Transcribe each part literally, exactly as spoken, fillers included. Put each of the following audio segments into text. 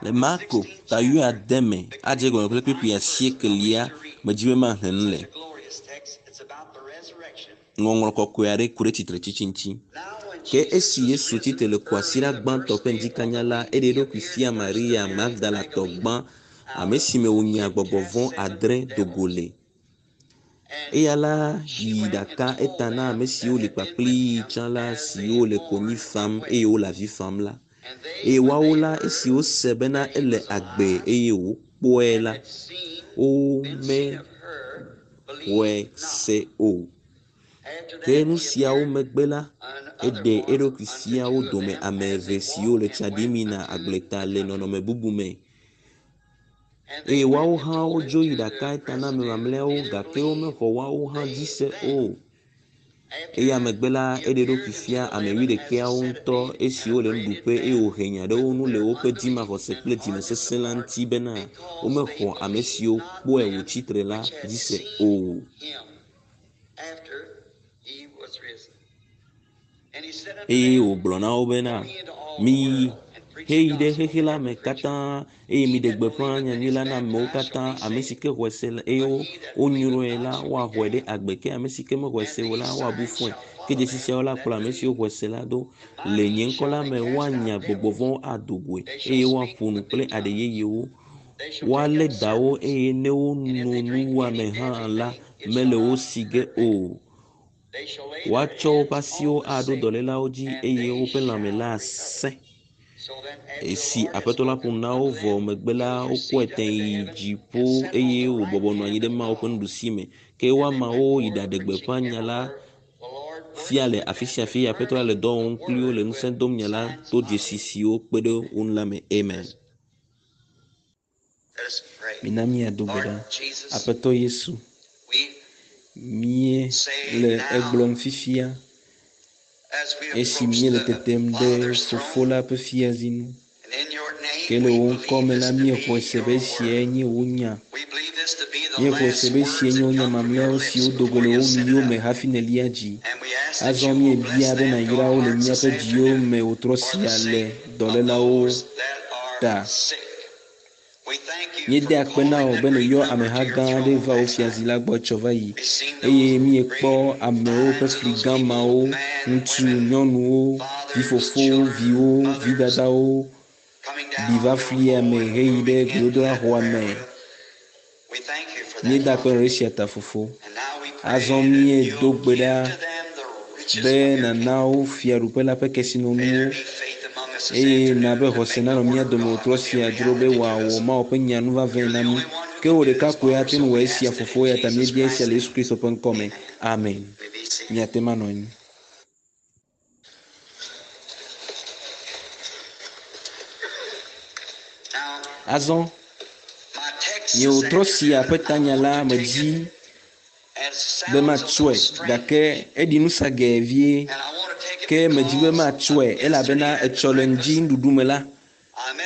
Le Marko ta wuiade me adze gɔme kple kpukpui asiekelia medzi be maxlẽ nu le. Ŋɔŋlɔ kɔkɔe aɖe ku ɖe tsitretsitsi ŋuti. Ke esi Yesu tsitre le kwasiɖa gbãtɔ ƒe ŋdikanya la, eɖe eɖokui fia Maria Magdalatɔ gbã, ame si me wònya gbɔgbɔ vɔ̃ adre do go le. Eya la yi ɖaka eta na ame siwo li kpakpli tsã la siwo le konyi fam eye wole avi fam la. Eye woawo la esi wose bena ele agbe eye wokpɔe la, womexɔe se o. Ke nu siawo megbe la, eɖe eɖokui fia wo dome ame eve siwo le tsa ɖim yina agbleta le nɔnɔme bubu me. Eye woawo hã wodzo yi ɖaka eta na ame mamlɛawo gake womexɔ woawo hã dzi se o. Eya megbe la, eɖe eɖokui fia ame wuiɖekɛawo ŋutɔ esiwo le nuɖuƒe eye wòhe nya ɖe wo ŋu le woƒe dzimaxɔse kple dzimesesẽ la ŋuti bena womexɔ ame siwo kpɔe wòtsi tre la dzi se o. Eye wògblɔ na wo bena, miyi heyi ɖe xexe la me katã eye miɖe gbeƒã nyanyui la na amewo katã. Ame si ke xɔe se la eye wonyrɔe la woaxɔe ɖe agbe ke ame si ke mexɔe se o la woabu fɔe. Ke dzesi siawo la kplɔ ame siwo xɔe se la ɖo. Le nye ŋkɔ la me woanya gbɔgbɔ vɔ̃wo ado goe eye woaƒo nu kple aɖe yeyewo. Woalé dawo eye ne wono nuwuame hã la mele wo si ge o. Woatsɔ woƒe asiwo aɖo dɔlélawo dzi eye woƒe lãme la asẽ. Esi Aƒetɔ la ƒo nu na wo vɔ megbe la, wokɔe tẽ yi dziƒo eye wòbɔbɔ nɔ anyi ɖe Mawu ƒe nuɖusi me. Ke woamawo yi ɖaɖe gbeƒã nya la fia le afi sia afi. Aƒetɔ la le dɔ wɔm kpli wo le ŋusẽ dom nya la to dzesi siwo kpe ɖe wo ŋu la me. Amen. Mina míado gbe ɖa. Aƒetɔ Yesu, míele egblɔm fifia esi míele tetem ɖe Fofo la ƒe fiazi nu. Ke le wò ŋkɔ me la, míexɔe se be esiae nye wò nya. Míexɔe se be esiae nye wò nya mamlɛawo siwo do go le wò nuyiwo me hafi nèlia dzi. Azɔ míebia be nàyra wo le míaƒe dziwo me wòtrɔ sia le dɔlélawo ta. Míede akpe na wò be nèyɔ ameha gã aɖe va wò fiazi la gbɔ tsɔ va yi eye míekpɔ amewo ƒe fli gã mawo, ŋutsu, nyɔnuwo, vifofowo, viwo, vidadawo ɖi va flia me heyi ɖe gbedodoɖaxɔa me. Míeda akpe na wò ɖe esia ta fofo. Azɔ míedo gbe ɖa be nàna wo fiaɖuƒe la ƒe kesinɔnuwo eye na be xɔse nanɔ mía dome wòtrɔ sia dzro be wòawɔ Mawu ƒe nya nuvavɛ na mí. Ke wò ɖeka koe ate ŋu wɔ esia fofo eya ta míebia esia le Yesu Kristo ƒe ŋkɔ me. Amen. Miate ŋu anɔ anyi. Azɔ nye wòtrɔ sia ƒe tanya la medzi be matsɔe gake eɖi nusagɛ vie ke medzi be matsɔe elabena etsɔ le ŋdzi nuɖuɖu me la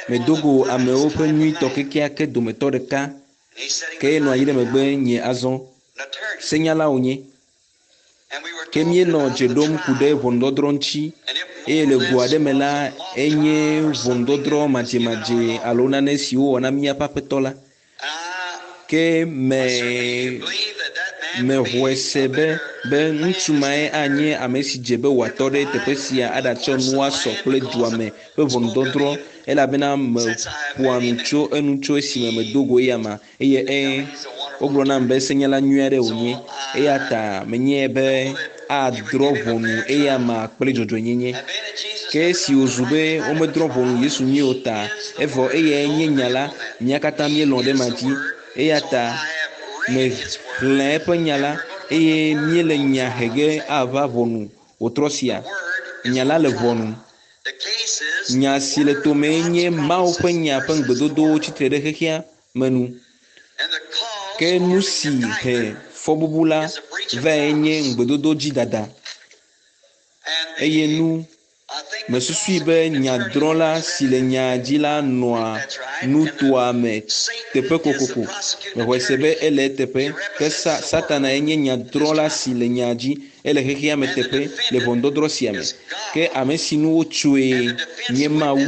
medo go amewo ƒe nyuitɔ kekeake dometɔ ɖeka ke enɔ anyi ɖe megbe nye azɔ senyala wònye. Ke míenɔ dze ɖom ku ɖe ʋɔnudɔdrɔ̃ ŋuti eye le go aɖe me la enye ʋɔnudɔdrɔ̃ madzemadze alo nane si wowɔ na míaƒe aƒetɔ la. Ke me mexɔe se be be ŋutsu mae anye ame si dze be wòatɔ ɖe teƒe sia aɖatsɔ nu asɔ kple dua me ƒe ʋɔnudɔdrɔ̃ elabena meƒoa nu tso enu tso esime medo go eya ma eye ẽ wogblɔ nam be senyala nyui aɖe wònye eya ta menyae be adrɔ̃ ʋɔnu eya ma kple dzɔdzɔenyenye. Ke esi wòzu be womedrɔ̃ ʋɔnu Yesu nyuie o ta evɔ eyae nye nya la mía katã míelɔ̃ ɖe ema dzi eya ta mexlẽ eƒe nya la eye míele nya he ge ava ʋɔnu wòtrɔ sia. Nya la le ʋɔnu. Nya si le tomee nye Mawu ƒe nya ƒe ŋugbedodowo tsitre ɖe xexea me nu. Ke nu si he fɔbubu la vae nye ŋugbedodo dzi dada. Eye nu mesusui be nyadrɔ̃la si le nya dzi la nɔa nutoa me teƒe kokoko. Mexɔe se be ele eteƒe ke sa Satanae nye nyadrɔ̃la si le nya dzi ele xexea me teƒe le ʋɔnudɔdrɔ̃ sia me. Ke ame si nu wotsoe nye Mawu.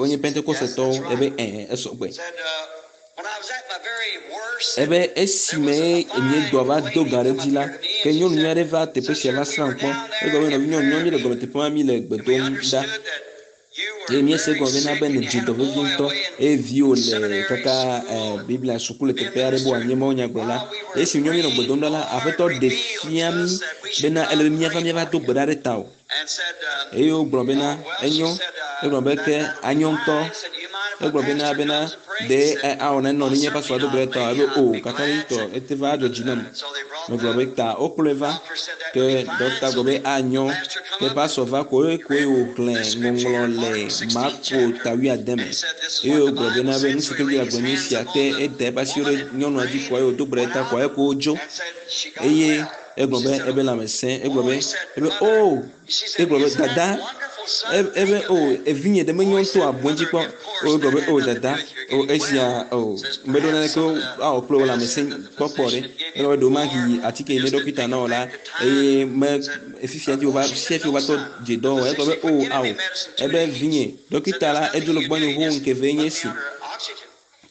wonye Pentekostetɔwo. Ebe ɛ̃ esɔgbe. Ebe esime nye dɔa va do gã ɖe dzi la, ke nyɔnu nyui aɖe va teƒe sia va srã kpɔ. Egblɔ be nɔvi nyɔnu nyɔnu le gɔme teƒe ma mi le gbe dom ɖa. Eye míese gɔme bena be nèdze dɔ vevie ŋutɔ eye viwò le kaka eh, Biblia suku le teƒe aɖe be wòanye mawunyagblɔla. Esi nyɔnu nɔ gbe dom ɖa la, Aƒetɔ ɖe fia mí bena ele be míava míava do gbe ɖa ɖe tawò. Eye wogblɔ bena enyo. Egblɔ be ke anyo ŋutɔ. Egblɔ bena bena ɖe awɔ nenɔ ne nye pastor do gbe ɖe tawò. Ebe o kakaɖedzitɔ ete va adzɔ dzi nam. Megblɔ be ta wokplɔe va ke ɖɔkita gblɔ be anyɔ ke pastor va koe koe wòxlẽ ŋɔŋlɔ le Marko ta wuiade me eye wògblɔ bena be nu si ke Biblia gblɔ nye sia ke eda eƒe asiwo ɖe nyɔnua dzi koa eye wòdo gbe ɖe ta koa eko wodzo eye egblɔ be ebe lãme sẽ egblɔ be ebe o egblɔ be dada ebe o evinye ɖe menyo ŋutɔ abɔ dzi kpɔ o egblɔ be o dada o esia o meɖo naneke awɔ kple wò lãmesẽ kpɔkpɔ ɖe egblɔ be ɖewomahi atike yi ne ɖɔkita na wò la eye me fifia dzi wòva fifia dzi wòva tɔ dze dɔ wɔ egblɔ be o awo ebe vinye ɖɔkita la edzo le gbɔnye xoxo ŋkeve nye esi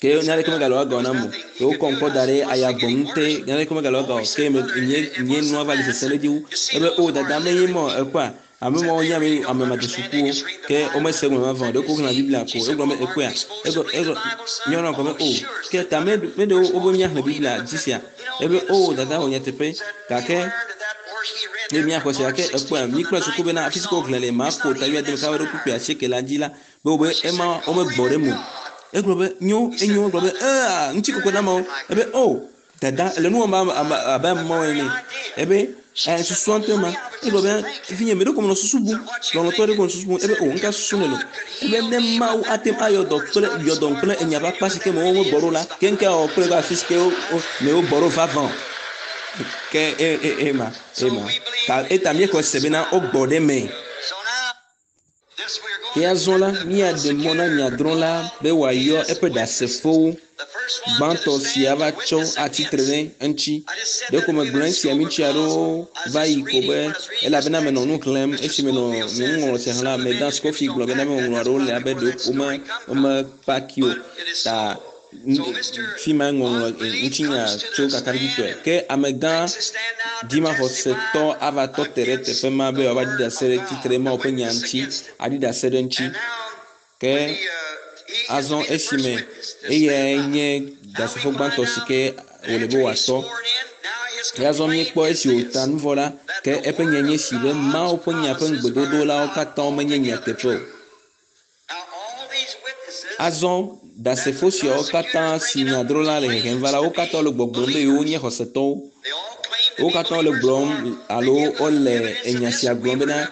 ke naneke megale agɔ nam o ke wokɔm kɔ da ɖe ayagbɔnu te naneke megale agɔ o ke me nye nye nua va le sesẽ ɖe edzi wu ebe o dada menye mɔ ekpɔa ame mawo nye ame ame madesukuwo ke womese gɔme vavã o ɖeko woxlẽna Biblia ko egblɔ be ekpɔa egblɔ egblɔ nyɔnua gblɔ be o ke ta me me ɖewo wobe míaxlẽ Biblia dzi sia ebe o dada wɔ nyateƒe gake ne míaxɔ se gake ekpɔa míkple suku bena afi si ke woxlẽ le Marko ta wuiade me ka ɖo kpukpui asieke la dzi la be wobe ema womegbɔ ɖe eme o egblɔ be nyo enyo egblɔ be ea ŋutikɔkɔe na amewo ebe o dada le nu wɔm abe abe amewo ene ebe ɛ susua ŋutɔ ma egblɔ be vinye me ɖo ko menɔ susu bum lɔlɔtɔ ɖe ko menɔ susu bum ebe o ŋka susu ne lo ebe ne Mawu ate ŋu ayɔ dɔ kple yɔ dɔ kple enya ƒe akpa si ke me womegbɔ ɖo la ke ŋka awɔ kple afi si ke wo me wogbɔ ɖo vavã o ke e e ema ema ta eta míexɔ se bena wogbɔ ɖe eme. Ke azɔ la, míaɖe mɔ na nyadrɔ̃la be wòayɔ eƒe ɖasefowo gbãtɔ si ava tsɔ atsitre ɖe eŋuti. Ɖeko megblɔ esia ŋuti aɖewo va yi ko be elabena menɔ nu xlẽm esi menɔ nye nuŋɔŋlɔ sia xlẽm la, Medan Scofield gblɔ bena ŋɔŋlɔ aɖewo le abe ɖewo wome womepaki o ta fi ma ŋɔŋlɔ ŋutinya tso kakaɖedzitɔe. Ke amegã dzimaxɔsetɔ ava tɔ te ɖe teƒe ma be wòava ɖi ɖase ɖe tsitre Mawu ƒe nya ŋuti, aɖi ɖase ɖe eŋuti. Ke azɔ esime eyae nye ɖasefo gbãtɔ si ke wòle be wòatɔ. Ke azɔ míekpɔ esi wòta nu vɔ la, ke eƒe nya nye esi be Mawu ƒe nya ƒe ŋugbedodo katã menye nyateƒe o. Azɔ ɖasefo siawo katã si nyadrɔ̃la le hehem va la, wo katã wole gbɔgblɔm be yewonye xɔsetɔwo. Wo katã wole gblɔm alo wole enya sia gblɔm bena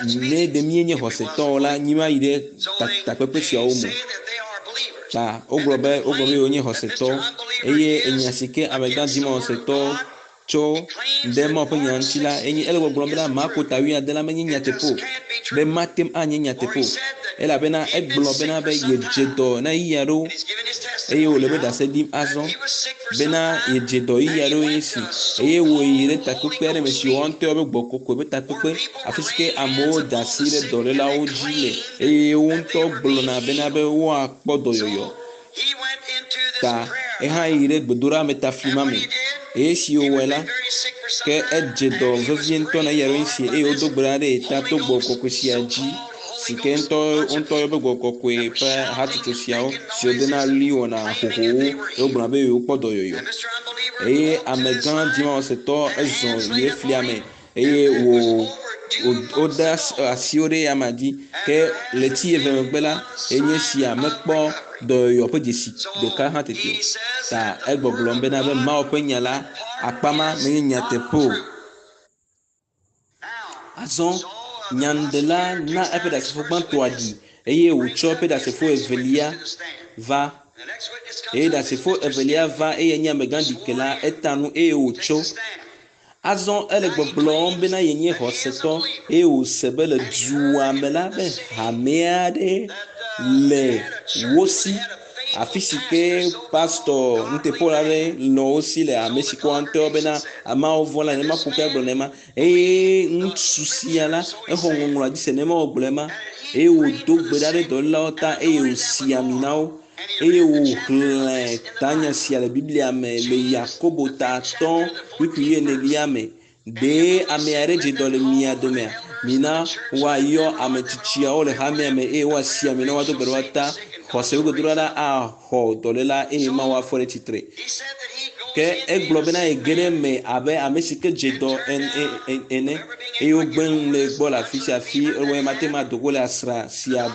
ne ɖe míenye xɔsetɔwo la, mímayi ɖe takpekpe siawo me. Ta wogblɔ be wogblɔ be yewonye xɔsetɔ eye enya si ke amegã dzimaxɔsetɔ tso ɖe Mawu ƒe nya ŋuti la, enye ele gbɔgblɔm bena Marko ta wuiade la menye nyateƒe o, be mate ŋu anye nyateƒe o elabena egblɔ bena be yedze dɔ na ɣeyiɣi aɖewo eye wòle be ɖase ɖim azɔ bena yedze dɔ ɣeyiɣi aɖewo nye esi eye wòyi ɖe takpekpe aɖe me si woa ŋutɔ be gbɔ kɔkɔe ƒe takpekpe afi si ke amewo da asi ɖe dɔlélawo dzi le eye wo ŋutɔ gblɔna bena be woakpɔ dɔyɔyɔ. Ta ehã yi ɖe gbedoɖa me ta fli ma me eye esi wòwɔe la ke edze dɔ vevie ŋutɔ na eya ɖewo esi eye wodo gbe ɖa ɖe ta to gbɔ kɔkɔe sia dzi si ke ŋutɔ ŋutɔ ƒe gbɔ kɔkɔe ƒe hatsotso siawo si wodena ɣli wɔna xoxowo ye wogblɔna be yewokpɔ dɔyɔyɔ eye amegã dzimaxɔsetɔ ezɔ yi ɖe flia me eye wò wode asiwo ɖe amea dzi ke ɣleti eve megbe la enye sia mekpɔ dɔyɔyɔ ƒe dzesi ɖeka hã tete o. Ta egbɔgblɔm bena be Mawu ƒe nya la akpa ma menye nyateƒe o. Azɔ nyanuɖela na eƒe ɖasefo gbãtɔa ɖi eye wòtsɔ eƒe ɖasefo evelia va eye ɖasefo evelia va eye nye amegã ɖikela eta nu eye wòtso. Azɔ ele gbɔgblɔm bena yenye xɔsetɔ eye wòse be le dua me la be hame aɖe le wo si afi si ke pastor nuteƒewɔla aɖe nɔ wo si le ame si ke woa ŋutɔ bena ameawo vɔ̃ la nema ƒoƒe agblɔ nema eye ŋutsu sia la exɔ ŋɔŋlɔa dzi se nema wògblɔ ema eye wòdo gbe ɖa ɖe dɔlélawo ta eye wòsi ami na wo eye wòxlẽ tanya sia le Biblia me le Yakobo ta atɔ̃ kpukpui enelia me. Ɖe ame aɖe dze dɔ le mia domea? Mina woayɔ ame tsitsiawo le hamea me eye woasi ami na woado gbe ɖe wo ta. Xɔse gbedodoɖa la axɔ dɔléla eye Mawu afɔ ɖe tsitre. Ke egblɔ bena yege ɖe eme abe ame si ke dze dɔ ene eye wogbe nu le egbɔ le afi sia afi eye mate ŋu ado go le asra sia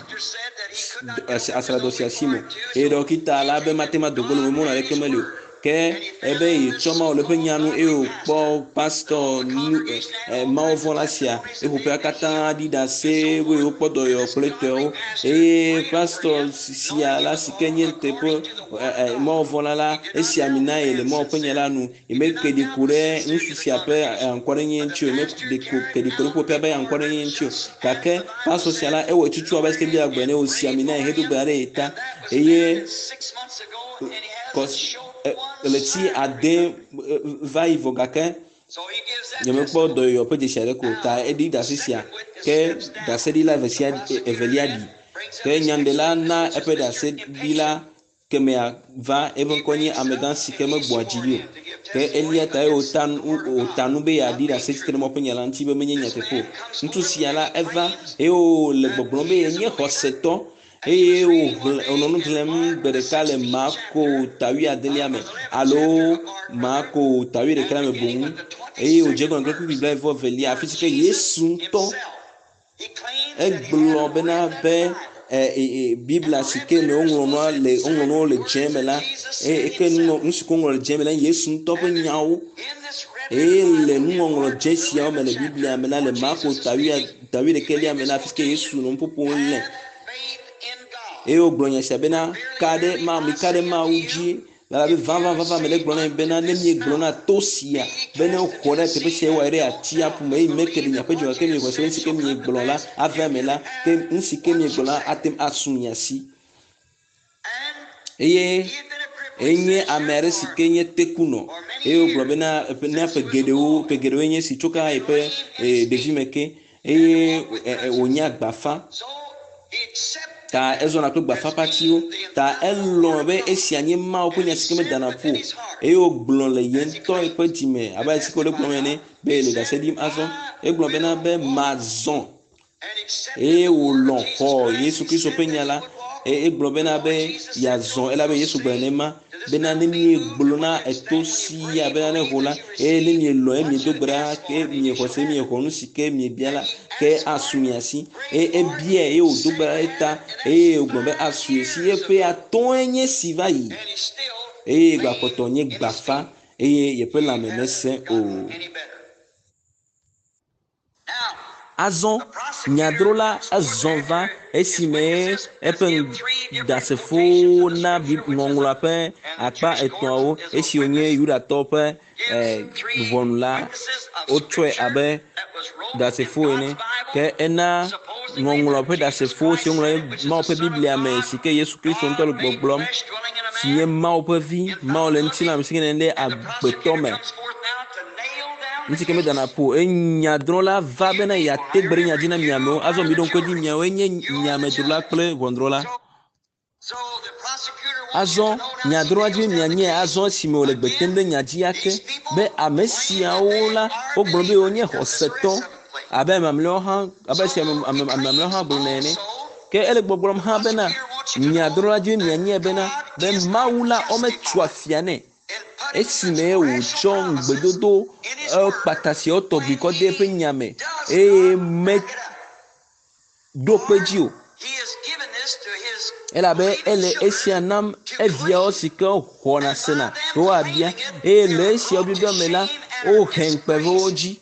asradɔ sia si me eye ɖɔkita la be mate ŋu ado go le eme mɔnu aɖeke meli o. Ke ebe yetsɔ Mawu le eƒe nya nu eye wòkpɔ pastɔ nu e mawuvɔla sia eƒoƒea katã ɖi ɖase be yewokpɔ dɔyɔyɔ kple etɔewo eye pastɔ sia la si ke nye teƒe ɛ mawuvɔla la esi ami na ye le Mawu ƒe nya la nu yemeke ɖi ku ɖe ŋutsu sia ƒe aŋkɔɖenye ŋuti o yemeke ɖi ku ɖe ƒoƒea ƒe aŋkɔɖenye ŋuti o gake pastɔ sia la ewɔ tutu abe sike Biblia gblɔ ene wòsi ami na ye hedo gbe ɖa ɖe ye ta eye ɣleti ade va yi vɔ gake nyemekpɔ dɔyɔyɔ ƒe dzesi aɖeke o ta eɖi ɖase sia ke ɖaseɖila eve sia evelia ɖi ke nyanuɖela na eƒe ɖaseɖila kemea va eƒe ŋkɔ nye amegã si ke megbɔa dzi ɖi o ke elia ta ye wòta nu wòta nu be yeaɖi ɖase tsitre ɖe Mawu ƒe nya la ŋuti be menye nyateƒe o. Ŋutsu sia la eva eye wòle gbɔgblɔm be yenye xɔsetɔ eye wòxlẽ wònɔ nu xlẽm gbe ɖeka le Marko ta wuiadelia me alo Marko ta wuiɖeka me boŋ eye wòdze egɔme kple kpukpui blaeve evelia afi si ke Yesu ŋutɔ egblɔ bena be ɛ Biblia si ke me woŋlɔ nua le woŋlɔ nuwo le dze me la eye ke nu si ke woŋlɔ le dze me la Yesu ŋutɔ ƒe nyawo eye le nuŋɔŋlɔ dze siawo me le Biblia me la le Marko ta wuiɖekɛlia me la afi si ke Yesu nɔ nuƒoƒom le eye wògblɔ nya sia bena ka ɖe Mawu mi ka ɖe Mawu dzi elabe vavã vavã mele gblɔ na mi bena ne miegblɔ na to sia be ne xɔ ɖe teƒe sia wɔ ɖe atsiaƒu me eye meke ɖe miaƒe dzi gake miexɔ se be nu si ke miegblɔ la ava eme la ke nu si ke miegblɔ la ate ŋu asu mia si. Eye enye ame aɖe si ke nye tekunɔ eye wògblɔ bena na ƒe geɖewo ƒe geɖewoe nye esi tso ka yeƒe ɖevime ke eye wònye agbafa ta ezɔna kple gbafapatiwo ta elɔ̃ be esia nye Mawu ƒe nya si ke medana ƒu o eye wògblɔ le ye ŋutɔ eƒe dzime abe ale si ke wòle gblɔm ene be yele ɖase ɖim azɔ. Egblɔ bena be mazɔ eye wòlɔ̃ xɔ Yesu Kristo ƒe nya la eye egblɔ bena be yeazɔ elabe Yesu gblɔ nenema bena ne miegblɔ na eto sia bena ne ho la eye ne mielɔ̃ eye miedo gbe ɖa ke miexɔ se miexɔ nu si ke miebia la ke asu mia si eye ebiae eye wòdo gbe ɖa ɖe ta eye wògblɔ be asu ye si eƒe atɔ̃e nye si va yi eye gbakpɔtɔ nye gbafa eye yeƒe lãme mesẽ o. Azɔ nyadrola ezɔ va esime eƒe ɖasefowo na ŋɔŋlɔa ƒe akpa etɔ̃awo esi wònye Yudatɔwo ƒe ʋɔnu la wotsɔe abe ɖasefo ene ke ena ŋɔŋlɔ ƒe ɖasefo si woŋlɔ ɖe Mawu ƒe Biblia me si ke Yesu Kristo ŋutɔ le gbɔgblɔm si nye Mawu ƒe vi Mawu le ŋutilã me si ke nene ɖe agbetɔ me. Nu si ke medana ƒo eye nyadrɔ̃la va bena yeate gbe ɖe nya dzi na mi amewo azɔ mi ɖo ŋku edzi miawoe nye nyamedrola kple ʋɔnudrɔ̃la. Azɔ nyadrɔ̃la dzi mianye azɔ esime wòle gbe tem ɖe nya dzi ake be ame siawo la wogblɔ be wonye xɔsetɔ abe ame mamlɛawo hã abe esi ame ame mamlɛawo hã gblɔnɛ ene. Ke ele gbɔgblɔm hã bena nyadrɔ̃la dzi mianye bena be Mawu la wometso afia nɛ esime wòtsɔ ŋugbedodo kpata siawo tɔgbi kɔ de eƒe nya me eye meɖo kpe dzi o. Elabe ele esia nam eviawo si ke xɔna sena be woabia eye le esiawo biabia me la wohe ŋukpe ve wo dzi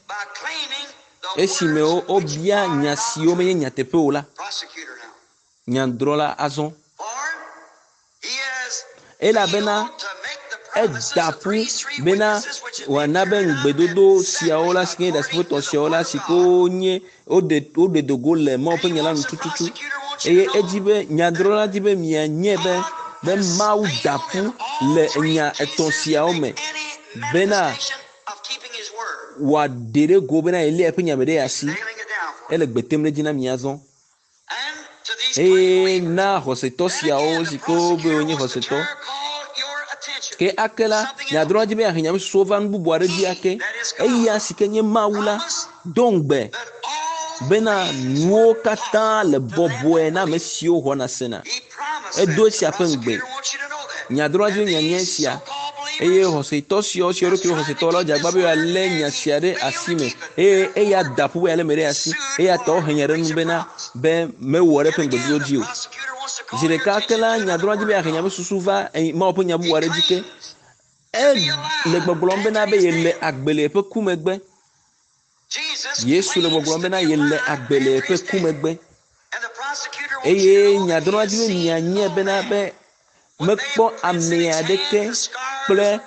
esime wobia nya siwo menye nyateƒe o la. Nyadrɔ̃la azɔ elabena eda ƒu bena wòana be ŋugbedodo siawo la si ke nye ɖasefo tɔ̃ siawo la si ke wonye woɖe woɖe do go le Mawu ƒe nya la nu tututu eye edzi be nyadrɔ̃la di be mianye be be Mawu da ƒu le nya etɔ̃ siawo me bena wòaɖe ɖe go bena yelia eƒe nya me ɖe asi. Ele gbe tem ɖe edzi na mi azɔ. Eye na xɔsetɔ siawo si ke wobe wonye xɔsetɔ ke ake la nyadrɔ̃la dzi be yeahe nyamesusuwo va nu bubu aɖe dzi ake eya si ke nye Mawu la do ŋugbe bena nuwo katã le bɔbɔe na ame siwo xɔna sena. Edo esia ƒe ŋugbe. Nyadrɔ̃la dzi be mianye esia eye xɔsetɔ siawo siwo ɖokuiwo xɔsetɔ la dze agbagba be yewoalé nya sia ɖe asi me eye eya da ƒu be yealé eme ɖe asi eya ta wohe nya ɖe nu bena be mewɔ ɖe eƒe ŋugbedodo dzi o. Zi ɖeka ke la nyadrɔ̃la dzi be yeahe nyamesusu va Mawu ƒe nya bubu aɖe dzi ke. Ele gbɔgblɔm bena be yele agbe le yeƒe ku megbe. Yesu le gbɔgblɔm bena yele agbe le yeƒe ku megbe. Eye nyadrɔ̃la dzi be mianye bena be mekpɔ ame aɖeke kple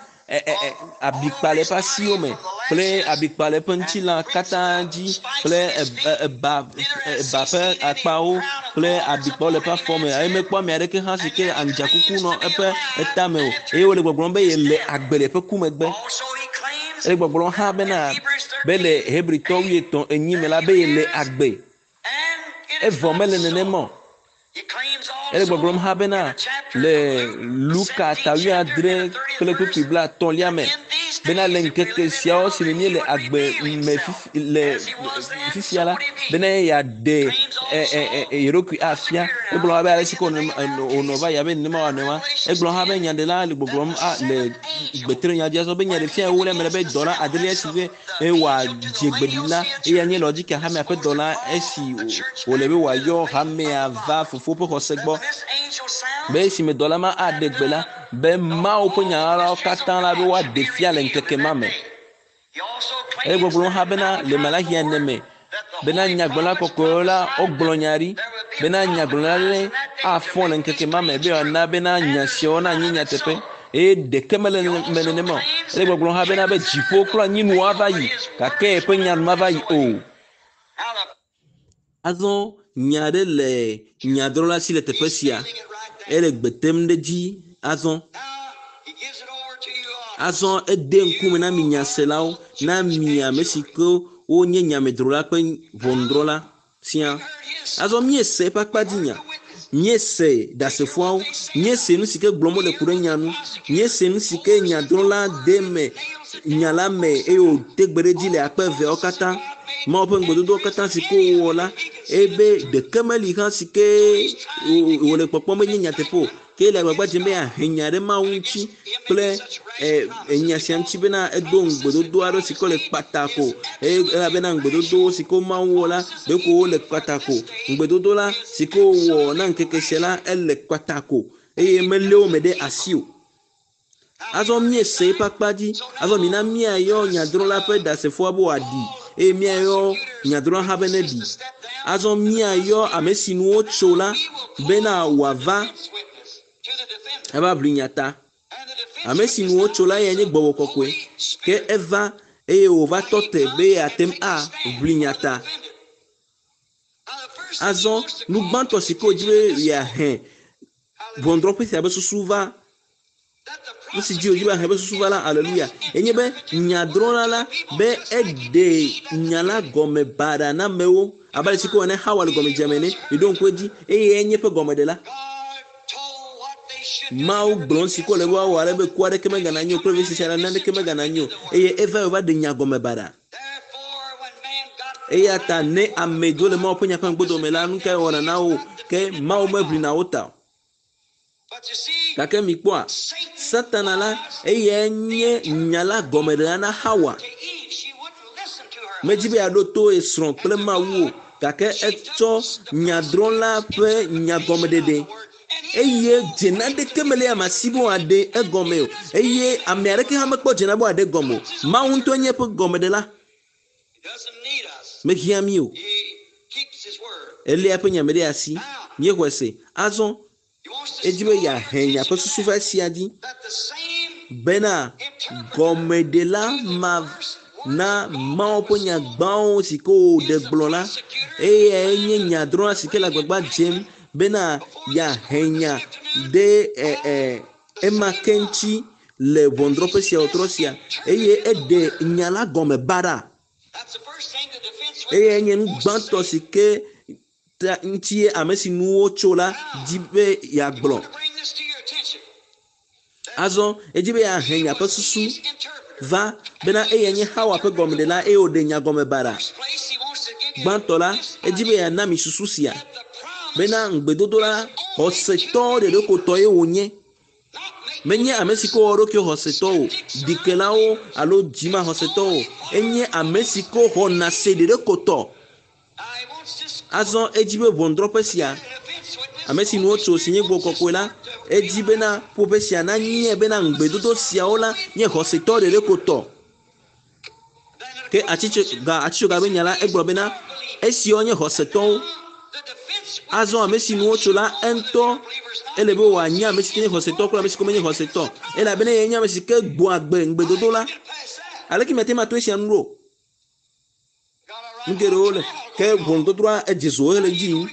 abikpa le eƒe asiwo me kple abikpa le eƒe ŋutilã katã dzi kple eba eba ƒe akpawo kple abikpawo le eƒe afɔ me eye mekpɔ ame aɖeke hã si ke andzakuku nɔ eƒe etame o eye wole gbɔgblɔm be yele agbe le eƒe ku megbe. Ele gbɔgblɔm hã bena be le Hebritɔ wuietɔ̃ enyi me la be yele agbe. Evɔ mele nenema o. Ele gbɔgblɔm hã bena le Luka ta wuiadre kple kpukpui blaetɔ̃lia me bena le ŋkeke siawo si me míele agbe me fifi le fifia la bena yeaɖe ye ɖokui afia. Egblɔ hã be ale si ke wònɔ va yi abe nenema wòanɔ ema. Egblɔ hã be nyaɖela le gbɔgblɔm le gbetre nya dzi azɔ be nyaɖefia ewolia me le be dɔla adelia si be wòadze gbeɖiɖi la eya nye Laodikea hamea ƒe dɔla esi wòle be wòayɔ hamea va fofo ƒe xɔse gbɔ. Be esime dɔla ma aɖe gbe la be Mawu ƒe nya ɣaɣlawo katã la be woaɖe fia le ŋkeke ma me. Ele gbɔgblɔm hã bena le Malaxia ene me bena nyagblɔla kɔkɔewo la wogblɔ nya ɖi bena nyagblɔla ɖe afɔ le ŋkeke ma me be wòana bena nya siawo nanyi nyateƒe eye ɖeke mele me nenema o. Ele gbɔgblɔm hã bena be dziƒo kple anyinu ava yi gake eƒe nya nu mava yi o. Azɔ nya aɖe le nyadrɔ̃la si le teƒe sia. Ele gbe tem ɖe edzi azɔ. Azɔ ede ŋkume na mi nyaselawo, na mi ame si ke wonye nyamedrola kple ʋɔnudrɔ̃la sia. Azɔ míese eƒe akpadzinya, míese ɖasefoawo, míese nu si ke gblɔm wole ku ɖe nya nu, míese nu si ke nyadrɔ̃la de me nya la me eye wòte gbe ɖe edzi le akpe eveawo katã. Mawu ƒe ŋugbedodowo katã si ke wowɔ la, ebe ɖeke meli hã si ke wòle kpɔkpɔm be nye nyateƒe o. Ke le agbagba dzem be yeahe nya ɖe Mawu ŋuti kple enya sia ŋuti bena edo ŋugbedodo aɖe si ke le kpatako eye elabena ŋugbedodo si ke Mawu wɔ la ɖeko wole kpatako. Ŋugbedodo la si ke wowɔ na ŋkeke sia la ele kpatako eye melé wo me ɖe asi o. Azɔ míese eƒe akpa dzi. Azɔ mina míayɔ nyadrɔ̃la ƒe ɖasefoa be wòaɖi eye míayɔ nyadrɔ̃la hã be neɖi. Azɔ míayɔ ame si nu wotso la bena wòava eva ʋli nya ta. Ame si nu wotso la eyae nye gbɔgbɔ kɔkɔe. Ke eva eye wòva tɔ te be yeate ŋu aʋli nya ta. Azɔ nu gbãtɔ si ke wòdzi be yeahe ʋɔnudrɔ̃ƒe sia ƒe susu va nu si dzi wòdzi be yeahe ƒe susu va la aleluya enye be nyadrɔ̃la la be eɖe nya la gɔme baɖa na amewo abe ale si ke wòne Hawa le gɔmedzeme ene miɖo ŋku edzi eye enye eƒe gɔmeɖela. Mawu gblɔ nu si ke wòle be woawɔ ale be ku aɖeke megana anyi o kple vevesese naneke megana anyi o eye eva wòva ɖe nya gɔme baɖa. Eya ta ne ame dzo le Mawu ƒe nya ƒe ŋgbodome la nu kae wɔna na wo ke Mawu meʋlina wo ta o. Gake mikpɔa Satana la eyae nye nya la gɔmeɖela na Hawa. Medzi be yeaɖo to ye srɔ̃ kple Mawu o gake etsɔ nyadrɔ̃la ƒe nyagɔmeɖeɖe eye dzena ɖeke mele ame si be wòaɖe egɔme o eye ame aɖeke hã mekpɔ dzena be wòaɖe egɔme o. Mawu ŋutɔ nye eƒe gɔmeɖela. Mehiã mí o. Eléa eƒe nya me ɖe asi. Míexɔe se. Azɔ edzi be yeahe nya ƒe susu va esia dzi bena gɔmeɖela ma na Mawu ƒe nya gbãwo si ke wòɖe gblɔ la eyae nye nyadrɔ̃la si ke le agbagba dzem bena yeahe nya ɖe ɛ ɛ ema ke ŋuti le ʋɔnudrɔ̃ƒe sia wòtrɔ sia eye eɖe nya la gɔme baɖa. Eyae nye nu gbãtɔ si ke ta ŋuti ame si nu wotso la dzi be yeagblɔ. Azɔ edzi be yeahe nya ƒe susu va bena eyae nye Hawa ƒe gɔmeɖela eye wòɖe nya gɔme baɖa. Gbãtɔ la edzi be yeana mi susu sia bena ŋugbedodo la xɔsetɔ ɖeɖekotɔ ye wònye. Menye ame si ke wɔ eɖokui xɔsetɔ o, ɖikelawo alo dzimaxɔsetɔ o. Enye ame si ke xɔna se ɖeɖekotɔ. Azɔ edzi be ʋɔnudrɔ̃ƒe sia Ame si nu wotso si nye gbɔgbɔ kɔkɔe la, edzi bena ƒoƒe sia nanye bena ŋugbedodo siawo la nye xɔsetɔ ɖeɖe ko tɔ. Ke atitsoga atitsoga be nya la egblɔ bena esiwo nye xɔsetɔwo. Azɔ ame si nu wotso la eŋutɔ ele be wòanye ame si ke nye xɔsetɔ kple ame si ke menye xɔsetɔ elabena eyae nye ame si ke gbɔ agbe ŋugbedodo la. Aleke miate ŋu ato esia nu ɖo? Nu geɖewo le ke ʋɔnudɔdrɔ̃a edze zo hele dzi yim.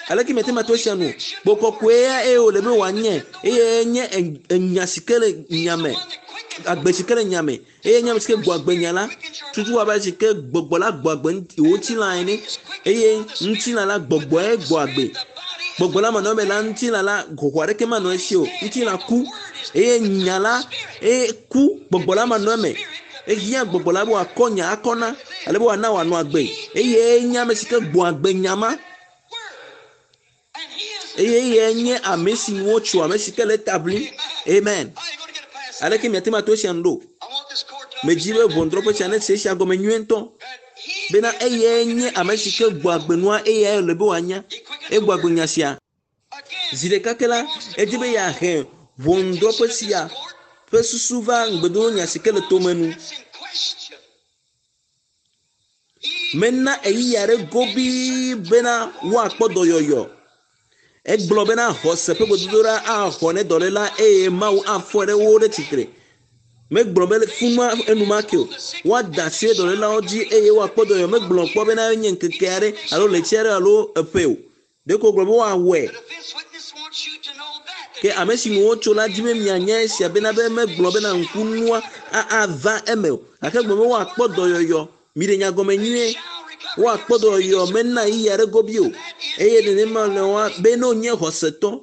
Aleke miate ŋu ato esia nu? Gbɔgbɔ kɔkɔe eye wòle be wòanye eye nye enya si ke le nya me, agbe si ke le nya me eye nye ame si ke gbɔ agbe nya la tutu abe si ke gbɔgbɔ la gbɔ agbe wò ŋutilã ene eye ŋutilã la gbɔgbɔe gbɔ agbe. Gbɔgbɔ la manɔ eme la ŋutilã la xɔxɔ aɖeke manɔ esi o. Ŋutilã ku eye nya la eye ku gbɔgbɔ la manɔ eme. Ehiã gbɔgbɔ la be wòakɔ nya akɔ na ale be wòana wòanɔ agbe eye nye ame si ke gbɔ agbe nya ma. Eye eyae nye ame si nu wotso ame si ke le ta ʋlim. Amen. Aleke miate ŋu ato esia nu ɖo? Medzi be ʋɔnudrɔ̃ƒe sia nese esia gɔme nyuie ŋutɔ. Bena eyae nye ame si ke gbɔ agbe nua eyae le be wòanya. Egbɔ agbe nya sia. Zi ɖeka ke la, edi be yeahe ʋɔnudrɔ̃ƒe sia ƒe susu va ŋugbedodo nya si ke le tome nu. Mena ɣeyiɣi aɖe gobii bena woakpɔ dɔyɔyɔ. Egblɔ bena xɔse ƒe gbedodoɖa axɔ ne dɔléla eye Mawu afɔe ɖe wo ɖe tsitre. Megblɔ be fuma enumake o. Woada asi ɖe dɔlélawo dzi eye woakpɔ dɔyɔyɔ. Megblɔ kpɔ bena enye ŋkeke aɖe alo ɣleti aɖe alo eƒe o. Ɖeko wògblɔ be woawɔe. Ke ame si nu wotso la dzi be mianya esia bena be megblɔ bena ŋkunua ava eme o. Gake gblɔ be woakpɔ dɔyɔyɔ. Miɖe nya gɔme nyuie. Woakpɔ dɔyɔyɔ mena ɣeyiɣi aɖe gobi o. Eye nenema le woa be ne wonye xɔsetɔ,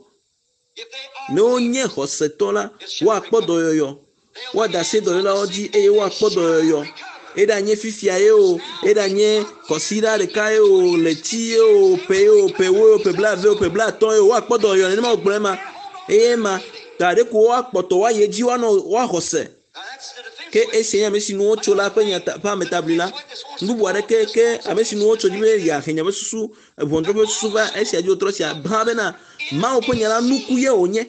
ne wonye xɔsetɔ la, woakpɔ dɔyɔyɔ. Woada asi dɔlélawo dzi eye woakpɔ dɔyɔyɔ. Eɖanye fifia ye o, eɖanye kɔsiɖa ɖeka ye o, ɣleti ye o, ƒe ye o, ƒe ewo ye o, ƒe blaeve o, ƒe blaatɔ̃ ye o, woakpɔ dɔyɔyɔ nenema wògblɔ ema. Eye ema ta ɖeko woakpɔtɔ woayi edzi woanɔ woaxɔ se. Ke esia nye ame si nu wotso la ƒe nya ƒe ametaʋli la. Nu bubu aɖeke ke ame si nu wotso dzi be yeahe nya ƒe susu, ʋɔnudrɔ̃ƒe ƒe susu va esia dzi wòtrɔ sia hã bena Mawu ƒe nya la nuku ye wònye.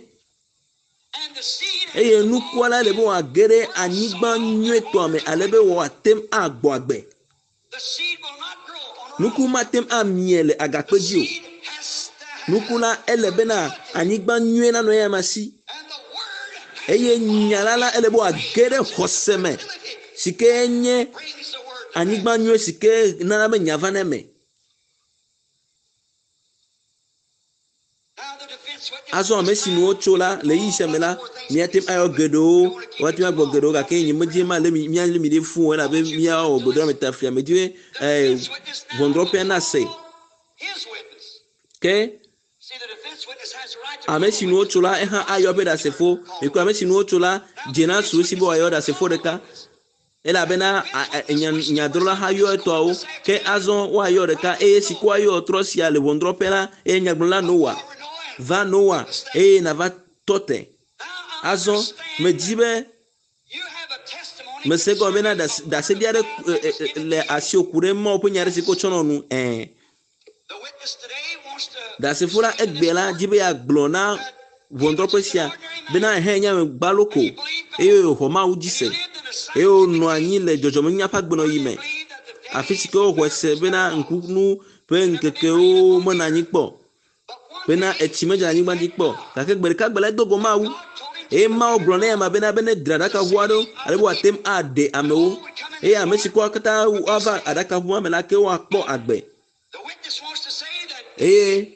Eye nukua la le be wòage ɖe anyigba nyuietɔa me ale be wòate ŋu agbɔ agbe. Nuku mate ŋu amie le agakpe dzi o. Nuku la ele bena anyigba nyuie nanɔ eya ma si. Eye nya la la ele be wòage ɖe xɔse me si ke nye anyigba nyuie si ke nana be nya va na eme. Azɔ ame si nu wotso la le ɣeyiɣi sia me la, míate ŋu ayɔ geɖewo, woate ŋu agblɔ geɖewo gake nye medzi ma lé mi míalé mi ɖe fũ o elabe míawɔ gbedoɖa me taflia. Medzi be ɛɛ ʋɔnudrɔ̃ƒea nase. Ke ame si nu wotso la ehã ayɔ eƒe ɖasefo. Ekɔ ame si nu wotso la dze na su esi be wòayɔ ɖasefo ɖeka. Elabena nyadrɔ̃la hã yɔ etɔawo. Ke azɔ woayɔ ɖeka eye si ke woayɔ trɔ sia le ʋɔnudrɔ̃ƒe la eye nyagblɔla Noa. Va Noa eye nava tɔ te. Azɔ medzi be mese gɔme bena ɖaseɖi aɖe le asiwò ku ɖe Mawu ƒe nya aɖe si ke wotsɔ nɔ nu. Ɛ̃. Ɖasefo la egbea la dzi be yeagblɔ na ʋɔnudrɔ̃ƒe sia bena ehe nye ame gbalo ko eye wòxɔ Mawu dzi se eye wònɔ anyi le dzɔdzɔmenunya ƒe agbenɔɣi me. Afi si ke woxɔe se bena ŋkunu ƒe ŋkekewo menɔ anyi kpɔ bena etsi medze anyigba dzi kpɔ gake gbe ɖeka gbe la edo go Mawu eye Mawu gblɔ nɛ ama bena be ne dzra aɖakaʋu aɖewo ale be wòate ŋu aɖe amewo eye ame si ke katã woava aɖakaʋua me la ke woakpɔ agbe. Eye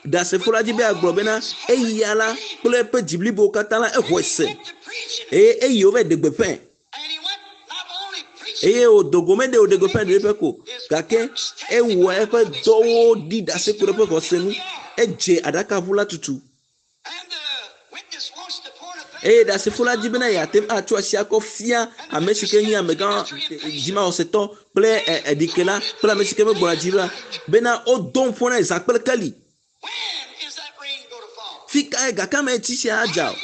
ɖasefo la dzi be agblɔ bena eya la kple eƒe dzi blibo katã la exɔe se eye eyi wova ɖe gbeƒãe eye wòdo go meɖe wòɖe gbeƒã ɖe eƒe ko gake ewɔ eƒe dɔwo ɖi ɖase ku ɖe eƒe xɔse nu edze aɖakaʋu la tutu eye ɖasefo la dzi bena yeate ŋu atsɔ asi akɔ fia ame si ke nye amegã dzimaxɔsetɔ kple eɖikela kple ame si ke megbɔna dzi la bena wodom ƒo na zã kple keli. Fi kae gake ame tsi sia adza o?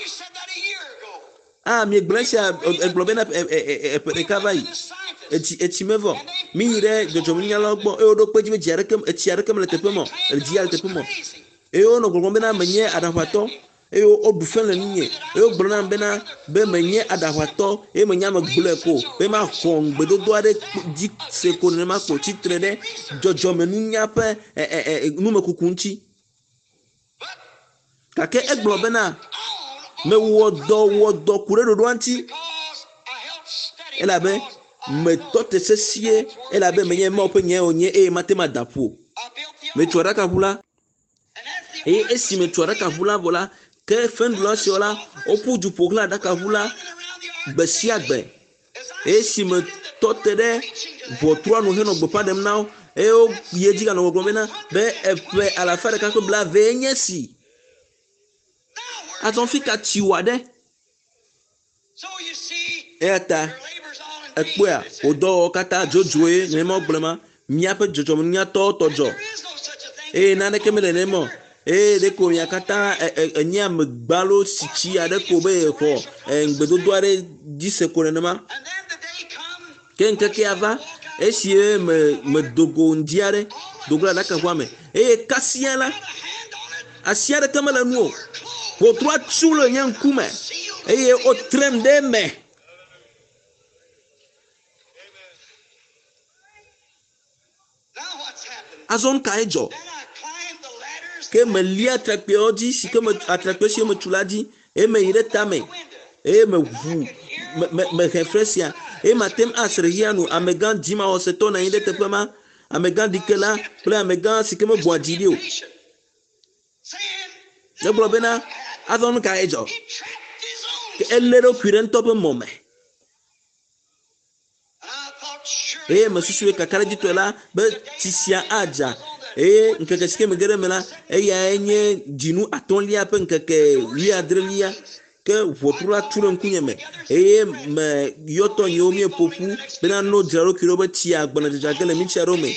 Ah, miegblɔ esia egblɔ bena eƒe ɖeka va yi. Etsi etsi mevɔ. Mi yi ɖe dzɔdzɔmenunyalawo gbɔ eye woɖo kpe dzi be dzi aɖeke etsi aɖeke mele teƒe ma o. Edzi le teƒe ma o. Eye wonɔ gbɔgblɔm bena menye aɖaʋatɔ eye woɖu fe le nunye eye wogblɔ nam bena be menye aɖaʋatɔ eye menye ame gblɔe ko be maxɔ ŋugbedodo aɖe dzi se ko nenema ko tsitre ɖe dzɔdzɔmenunya ƒe ɛ ɛ ɛ numekuku ŋuti. Gake egblɔ bena mewɔ dɔ wɔ dɔ ku ɖe ɖoɖoa ŋuti elabe metɔ te sesie elabe menye Mawu ƒe nyae wònye eye mate ŋu ada ƒu o. Metu aɖakaʋu la eye esi metu aɖakaʋu la vɔ la ke fenɖula siawo la woƒu du ƒo xlã aɖakaʋu la gbe sia gbe. Eye esi metɔ te ɖe ʋɔtrua nu henɔ gbeƒã ɖem na wo eye woyi edzi ganɔ gbɔgblɔm bena be eƒe alafa ɖeka kple blaeve nye esi. Azɔ fi ka tsi wɔ ɖe? Eya ta ekpɔea wò dɔwɔwɔ katã dzodzroe nenema wogblɔe ma míaƒe dzɔdzɔmenunyatɔwo tɔ dzɔ eye naneke mele nenema o eye ɖeko mia katã enye ame gbalo si tsi aɖe ko be yexɔ ŋugbedodo aɖe dzi se ko nenema. Ke ŋkekea va esi me medo go ŋdi aɖe do go le aɖakaʋua me eye kasia la asi aɖeke mele nu o. Ʋɔtrua tu le nye ŋkume eye wotrem ɖe eme. Azɔ nu kae dzɔ? Ke melia atrakpuiawo dzi si ke me atrakpui siwo metu la dzi eye meyi ɖe tame eye meʋu me me mehe fre sia eye mate ŋu ase ɖe xexea nu amegã dzimawɔsetɔ nɔ anyi ɖe teƒe ma amegã ɖikela kple amegã si ke megbɔa dzi ɖi o. Egblɔ bena azɔ nu kae dzɔ? Ke elé eɖokui ɖe ŋutɔ ƒe mɔ me. Eye mesusu be kakaɖedzitɔe la be tsi sia adza eye ŋkeke si ke mege ɖe eme la eyae nye dzinu atɔ̃lia ƒe ŋkeke wuiadrelia ke ʋɔtru la tu ɖe ŋkunye me eye me yɔtɔ nyewo míeƒo ƒu bena no dzra ɖokui ɖo be tsia gbɔna dzadza ge le mitsi aɖewo me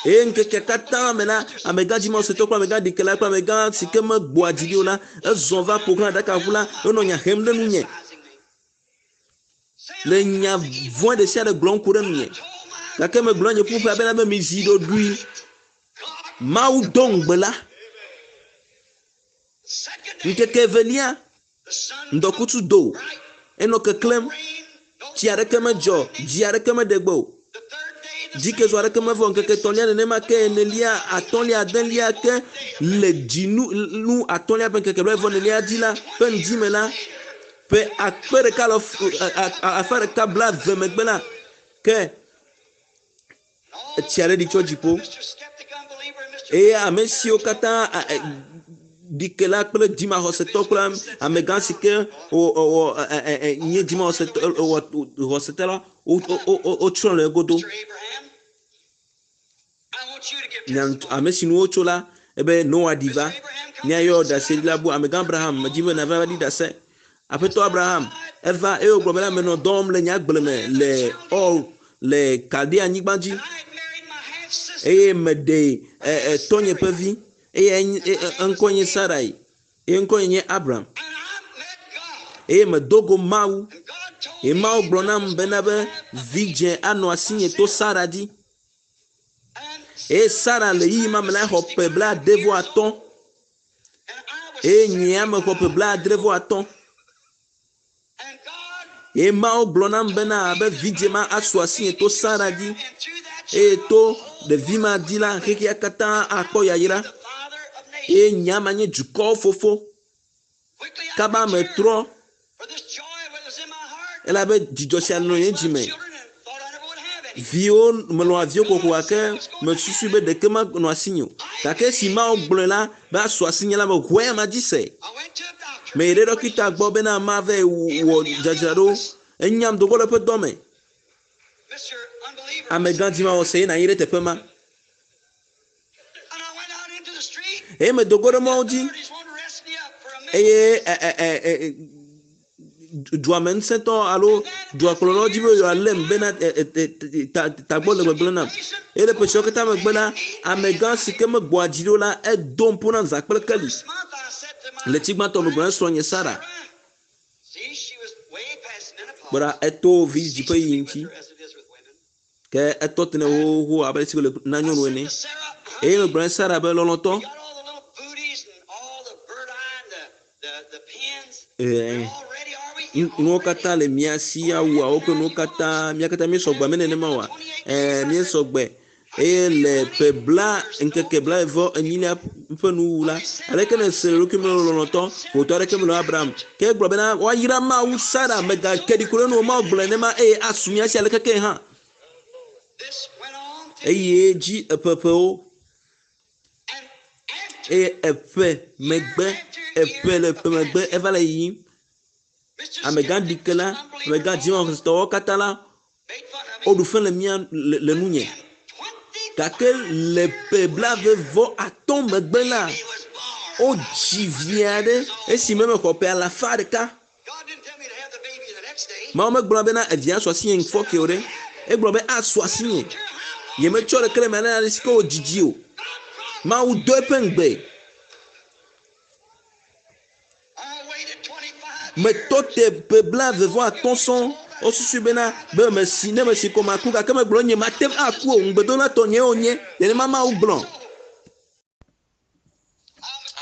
eye ŋkeke katã me la amegã dzimawɔsetɔ kple amegã ɖikela kple amegã si ke megbɔa dzi ɖi o la ezɔ va ƒo xlã aɖakaʋu la enɔ nya hem ɖe nunye le nya vɔ̃ ɖe sia ɖe gblɔm ku ɖe nunye gake megblɔ nye ƒuƒoƒea bena be mizi ɖoɖoe. Mawu do ŋugbe la. Ŋkeke evelia ŋdɔkutsu do enɔ keklẽm tsi aɖeke medzɔ dzi aɖeke meɖe gbe o dzikezu aɖeke mevɔ ŋkeke etɔ̃lia nenema ke enelia atɔ̃lia adelia ke le dzinu nu atɔ̃lia ƒe ŋkeke blaeve enelia dzi la ƒe ŋdi me la ƒe akpe ɖeka le afa ɖeka blaeve megbe la ke etsi aɖe ɖi tso dziƒo eye ame siwo katã ɖikela kple dzimaxɔsetɔ kple amegã si ke wɔ nye dzimaxɔsetɔ wɔ xɔsetɔ la wotsrɔ̃ le egodo. Nya ame si nu wotso la ebe Noa ɖi va míayɔ ɖaseɖila bu amegã Abraham medzi be nava ɖi ɖase. Aƒetɔ Abraham eva eye wògblɔ bena menɔ dɔ wɔm le nye agble me le Ur le Kaldea anyigba dzi eye meɖe tɔnye ƒe vi eye eŋkɔe nye Sarai eye ŋkɔe nye Abram eye medo go Mawu eye Mawu gblɔ nam bena be vidzẽ anɔ asinye to Sara dzi eye Sara le yiyi ma me la xɔ ƒe blaade vɔ atɔ̃ eye nyea mexɔ ƒe blaadre vɔ atɔ̃ eye Mawu gblɔ nam bena be vidzẽ ma asu asinye to Sara dzi eye to ɖevi ma dzi la xexea katã akpɔ yayra eye nya ma nye dukɔwo fofo. Kaba metrɔ elabe dzidzɔ sia nɔ nye dzime. Viwo melɔ̃a viwo kokoko gake mesusu be ɖeke manɔ asinye o. Gake esi Mawu gblɔe la be asu asinye la meʋu eya ma dzi se. Meyi ɖe ɖɔkita gbɔ bena mava wɔ dzadzraɖo. Enyam do go le eƒe dɔ me. Amegã dzimawɔse ye nɔ anyi ɖe teƒe ma. Eye medo go ɖe mɔwo dzi eye dua me ŋusẽtɔ alo duakplɔlawo dzi be yewoalém bena tagbɔ le gbegblẽ nam. Eye le ƒe siawo katã megbe la, amegã si ke megbɔa dzi ɖo la, edom ƒo nam zã kple keli. Le tsi gbãtɔ megblɔ na srɔ̃nye Sara. Kpɔ ɖa eto vidzidzi ƒe yiyi ŋuti. Ke etɔ te nɛ xoxoxo abe esi wòle na nyɔnu ene. Eye megblɔ na Sara be lɔlɔ̃tɔ, Eh, nuwo katã le mía si awuawo kple nuwo katã mía katã míesɔgbɔ me nenema oa ɛɛ míesɔgbɔ eye le ƒe bla ŋkeke blaeve enyilia ƒe nuwu la aleke ne se le ɖokui me lɔlɔ̃tɔ ƒotɔ aɖeke mele Abraham ke egblɔ bena woayra Mawu Sara megake ɖi ku ɖe nu o Mawu gblɔe nema eye asu mía si aleke ke hã This went on to eye dzi eƒeƒewo and after eye eƒe megbe eƒe le ƒe megbe eva le yiyim Mister amegã ɖikela amegã dzimaxɔsetɔwo katã la made fun of me. woɖu fe le mía le, le nunye And twenty gake le ƒe blaeve vɔ atɔ̃ megbe la he was born. wodzi vi aɖe esime mexɔ ƒe alafa ɖeka God didn't tell me to have the baby the next day. Mawu megblɔ bena evia su asinye ŋfɔ ke o ɖe egblɔ be asu asinye Care how long nyemetsɔ ɖeke le me ale ale si ke wodzidzi o God promised. Mawu do eƒe ŋugbe I waited twenty-five metɔ years. te ƒe blaeve vɔ atɔ̃ sɔŋ wosusui bena be mesi ne mesi ko maku gake megblɔ nye mate ŋu aku o ŋugbedola tɔnye wonye nenema Mawu gblɔ.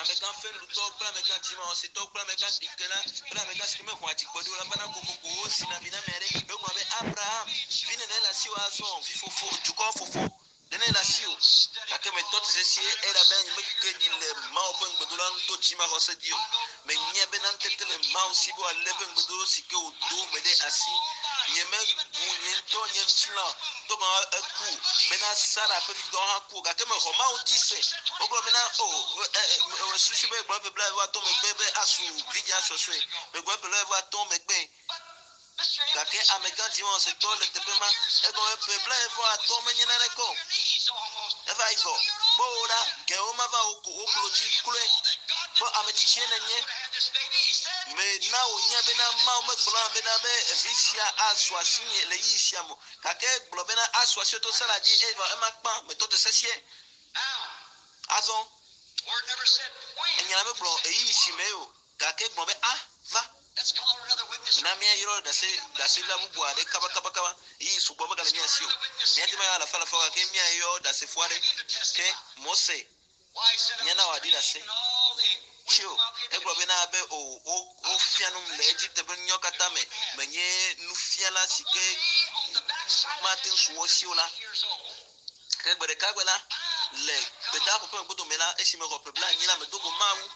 Amegã fenɖutɔ kple amegã dzimaxɔsetɔ kple amegã ɖikela kple amegã si ke mexɔ adzigbɔɖi o la vana kokoko wosina vi na ame aɖe egblɔ be Abraham vi nene le asiwò azɔ vifofo dukɔ fofo nene le asiwò gake metɔ te sesie elabe nyemeke ɖi le Mawu ƒe ŋugbedola ŋu to dzimaxɔse dzi o menye bena ŋutete le Mawu si be wòalé eƒe ŋugbedodo si ke wòdo me ɖe asi nyemebu nye ŋutɔ nye ŋutilã to gɔme eku bena Sara ƒe vidɔ hã ku o gake mexɔ Mawu dzi se wogblɔ bena o ɛ ɛ susu be gblɔ ƒe blaeve vɔ atɔ̃ megbe be asu vidzĩa sɔsɔe megblɔ ƒe blaeve vɔ atɔ̃ megbe gake amegã dzimaxɔsetɔ le teƒe ma egɔme ƒe blaeve vɔ atɔ̃ menye naneke o eva yi vɔ kpɔ wo ɖa gewo mava wo ko wo klo dzi kloe kpɔ ame tsitsie nenye mena wònya bena Mawu megblɔ bena be vi sia asu asinye le ɣeyiɣi sia me o gake egblɔ bena asu asi to Sara dzi eye ema kpã metɔ te sesie Now, azɔ word never said when. enya la megblɔ ɣeyiɣi si me o gake egblɔ be a va Let's call another witness. na míayɔ ɖase ɖaseɖila bubu aɖe kabakabakaba ɣeyiɣi sugbɔ megale mía si o míate ŋu ayɔ alafa alafa gake míayɔ ɖasefo aɖe Begin to ke testify. Mose Why he said, Míana wòaɖi ɖase and all the tsi o egblɔ bena be o wo wofia num le Egipte ƒe nunyawo katã me menye nufiala si ke on the backside mate ŋu su wo si o la years old. ke gbe ɖeka gbe la le gbedaƒo ƒe ŋgɔdome la esime xɔ ƒe blaenyi la medo go Mawu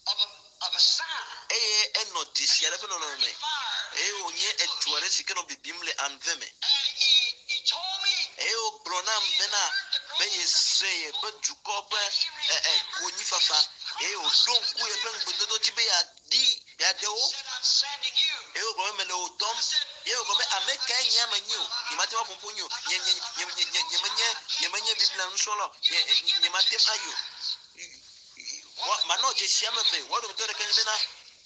of a, of a sign. eye enɔ dzesi aɖe ƒe nɔnɔme me Fire. eye wònye edu aɖe si ke nɔ bibim le anve me And he, he told me eye wògblɔ nam bena be yese yeƒe dukɔ ƒe ɛ ɛ konyifafa eye wòɖo ŋku yeƒe ŋugbedodo dzi be yeaɖi yeaɖe wo said, I'm sending you. eye wògblɔ be mele wò dɔm eye wògblɔ be ame kae nye ame nyi o nyemate ŋu aƒo ƒo nyi o nye nye nye nye nye nyemenye nyemenye Biblia nusrɔ̃la o nye nye nyemate ŋu ayi o Wa- manɔ dzesi ame eve woa dometɔ ɖeka nye bena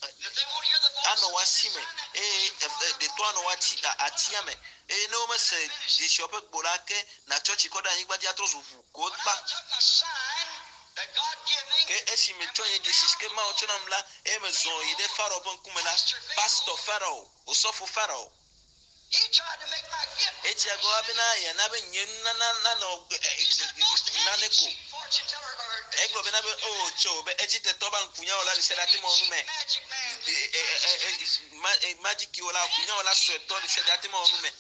If they won't hear the voice, anɔ wo asi me eye eve ɖetɔ anɔ wo ati a- atia me eye ne womese dzesiawo ƒe gbo la ke natsɔ tsi kɔ ɖe anyigba dzi atrɔ zu ʋu ko when kpa I took my sign that God gave me, ke esi metsɔ nye dzesi si ke Mawu tsɔ nam la eye mezɔ yi ɖe Farao ƒe ŋkume la pastor Farao osɔfo Farao he tried to make my gift. edze agɔ bena yeana be nye nunana nanɔ ɛ, ɛ, nane ko Fortune teller or egblɔ bena be o tso be Egiptetɔ ba ŋkunyawɔla ɖe sia ɖe ate ŋu awɔ nu me magic man. E, e, e, e, ma- e, magikiwɔla ŋkunyawɔla suetɔ ɖe sia ɖe ate ŋu awɔ nu me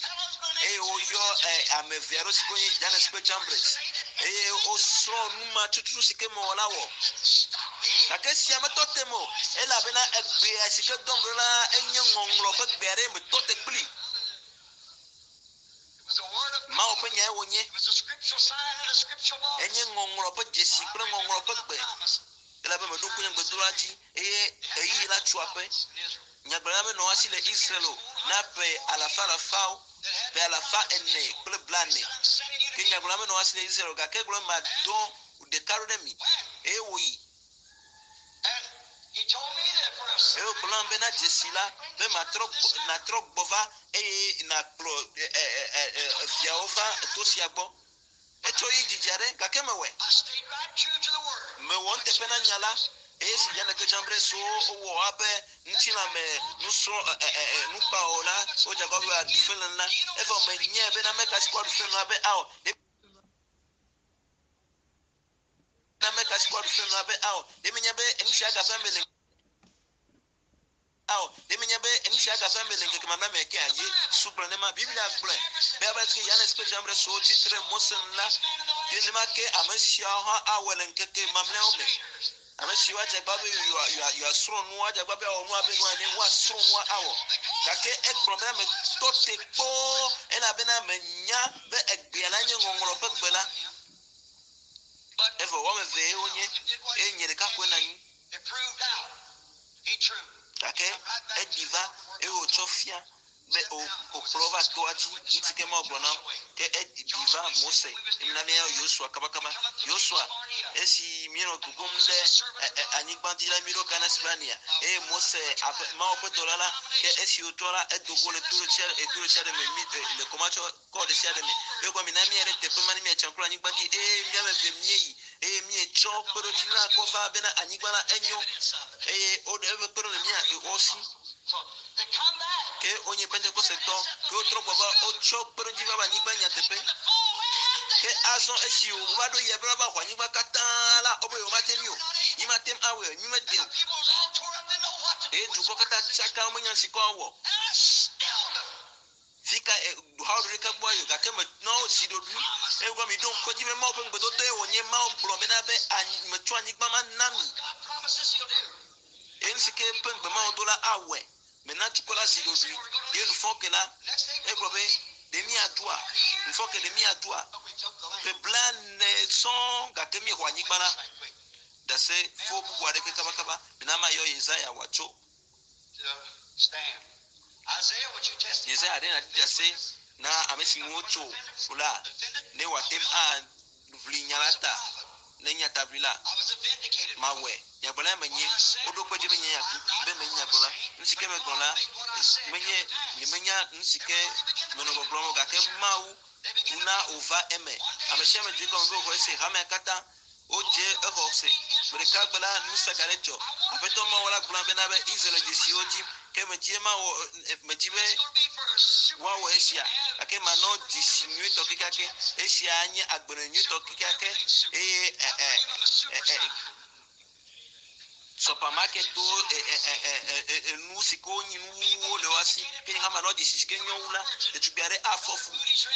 eye woyɔ ɛ, ame eve aɖewo si ke wonye Jannes kple Jambres eye wosrɔ̃ nu ma tututu si ke mewɔ la wɔ gake sia metɔ te me o elabena egbea si ke dɔm ɖo la enye ŋɔŋlɔ ƒe gbe aɖe metɔ te kpli It was a word of Mawu ƒe nyae wònye It was a scriptural sign and a scriptural voice. enye ŋɔŋlɔ ƒe dzesi kple ŋɔŋlɔ ƒe gbe Promise. elabe meɖo ŋku nye gbedodoɖa dzi eye ɣeyiɣi la tso aƒe In Israel. nyagblɔɖila menɔ asi le Israel o na ƒe alafa alafawo ƒe alafa ene kple blaene I'm sending you to ke nyagblɔɖila menɔ asi le Israel o gake egblɔ be madɔ ɖeka ɖo ɖe mi eye wòyi And he told me that for a eye wògblɔ nam bena dzesi la be matrɔ gbɔ natrɔ gbɔ va eye nakplɔ ɛ ɛ ɛ ɛ viawo va to sia gbɔ etsɔ yi dzidzi aɖe gake mewɔe I stayed right true to the word. mewɔ nuteƒe na nya la eye si Janne kple Jambres wowɔ woaƒe ŋutilãme nusrɔ̃ ɛ ɛ ɛ nukpawo la wodze agbagba be aɖu fe le la evɔ menyae bena ame ka si kɔ aɖu fe la be awɔ ɖe ame ka si kɔ aɖu fe la be awɔ ɖe menya be nu sia gava me le awɔ ɖe menye be nu sia gava me le ŋkeke mamlɛ me ke aye sugblɔ ne ma biblia gblɔe be abe ke Yanes kple Jambres wo tsitre Mose nu la nenema ke ame siawo hã awɔe le ŋkeke mamlɛawo me ame siwo adze agba be yewoa- yewoa- yewoasrɔ̃ nu adze agba be awɔ nu abe nua ene woasrɔ̃ nua awɔ gake egblɔ bena metɔ te kpɔ elabena menya be egbea la nye ŋɔŋlɔ ƒe gbe la evɔ woame eve wonye eye nye ɖeka koe nɔ anyi gake eɖi va eye wòtsɔ fia be wò- wòkplɔ va toa dzi ŋuti ke Mawu gblɔ na wo ke eɖi va Mose emina míayɔ Yosua kabakaba Yosua esi míenɔ gogom ɖe ɛ- ɛ- anyigba dzi la míeɖo Kanes Barnea eye Mose aƒe Mawu ƒe dɔla la ke esi wòtrɔ la edo go le to ɖe sia eto ɖe sia ɖe me mi e, le kɔmatsɔ kɔ ɖe sia ɖe me eye gɔme na míayi ɖe teƒe ma ne míatsa ŋku le anyigba dzi eye míame eve míeyi eye míetsɔ kpeɖodzi la kɔ va bena anyigba la enyo eye woɖe eƒe kpeɖo le mía wo si ke wonye pentekosetɔ ke wotrɔ gbɔ va wotsɔ kpeɖodzi va be anyigba nyateƒe ke azɔ esi wova ɖo yia be woava xɔ anyigba katã la wobe yewomate ŋui o mímate ŋu awɔe o mímede o eye dukɔ katã tsaka womenya si kɔ awɔ fi ka e, hawo ɖeka gbɔ yi o gake me na wo zi ɖoɖui eye gɔme mi ɖo ŋku edzi be Mawu ƒe ŋugbedodo ye wònye Mawu gblɔ bena be anyi metsɔ anyigba ma na mi eye nu si ke ƒe ŋugbe Mawu do la awɔe mena dukɔ la zi ɖoɖui ye nufɔ ke la egblɔ be ɖe míadoa nufɔ ke ɖe míadoa ƒe blaene sɔŋ gake míexɔ anyigba la ɖase fo bubu aɖeke kabakaba mena mayɔ Yesaya wòatso Yesaya ɖe nàɖi ɖase na ame si ŋu wotso la ne wòate ŋu aʋli nya la ta ne nya taʋli la mawɔe nyagblɔla menye woɖo kpe dzi be nye be menye nyagblɔla nu si ke megblɔ la menye nyemenya nu si ke menɔ gbɔgblɔm o gake Mawu na wòva eme ame sia ame dze gɔme be wòxɔ ese hamea katã wodze exɔ se gbe ɖeka gbe la nusaga ɖe dzɔ aƒetɔ Mawu la gblɔ bena be Israel dzesiwo dzi ke medzi mawɔ medzi be woawɔ esia gake manɔ dzesi nyuietɔ kekeake esia nye agbenɔ nyuietɔ kekeake eye ɛ ɛ ɛ ɛ supermarketwo ɛ ɛ ɛ ɛ ɛ enu si ke wonyi nuwuwo le wo si ke nye hã manɔ dzesi si ke nyɔ wu la ɖetugbui aɖe afɔ fu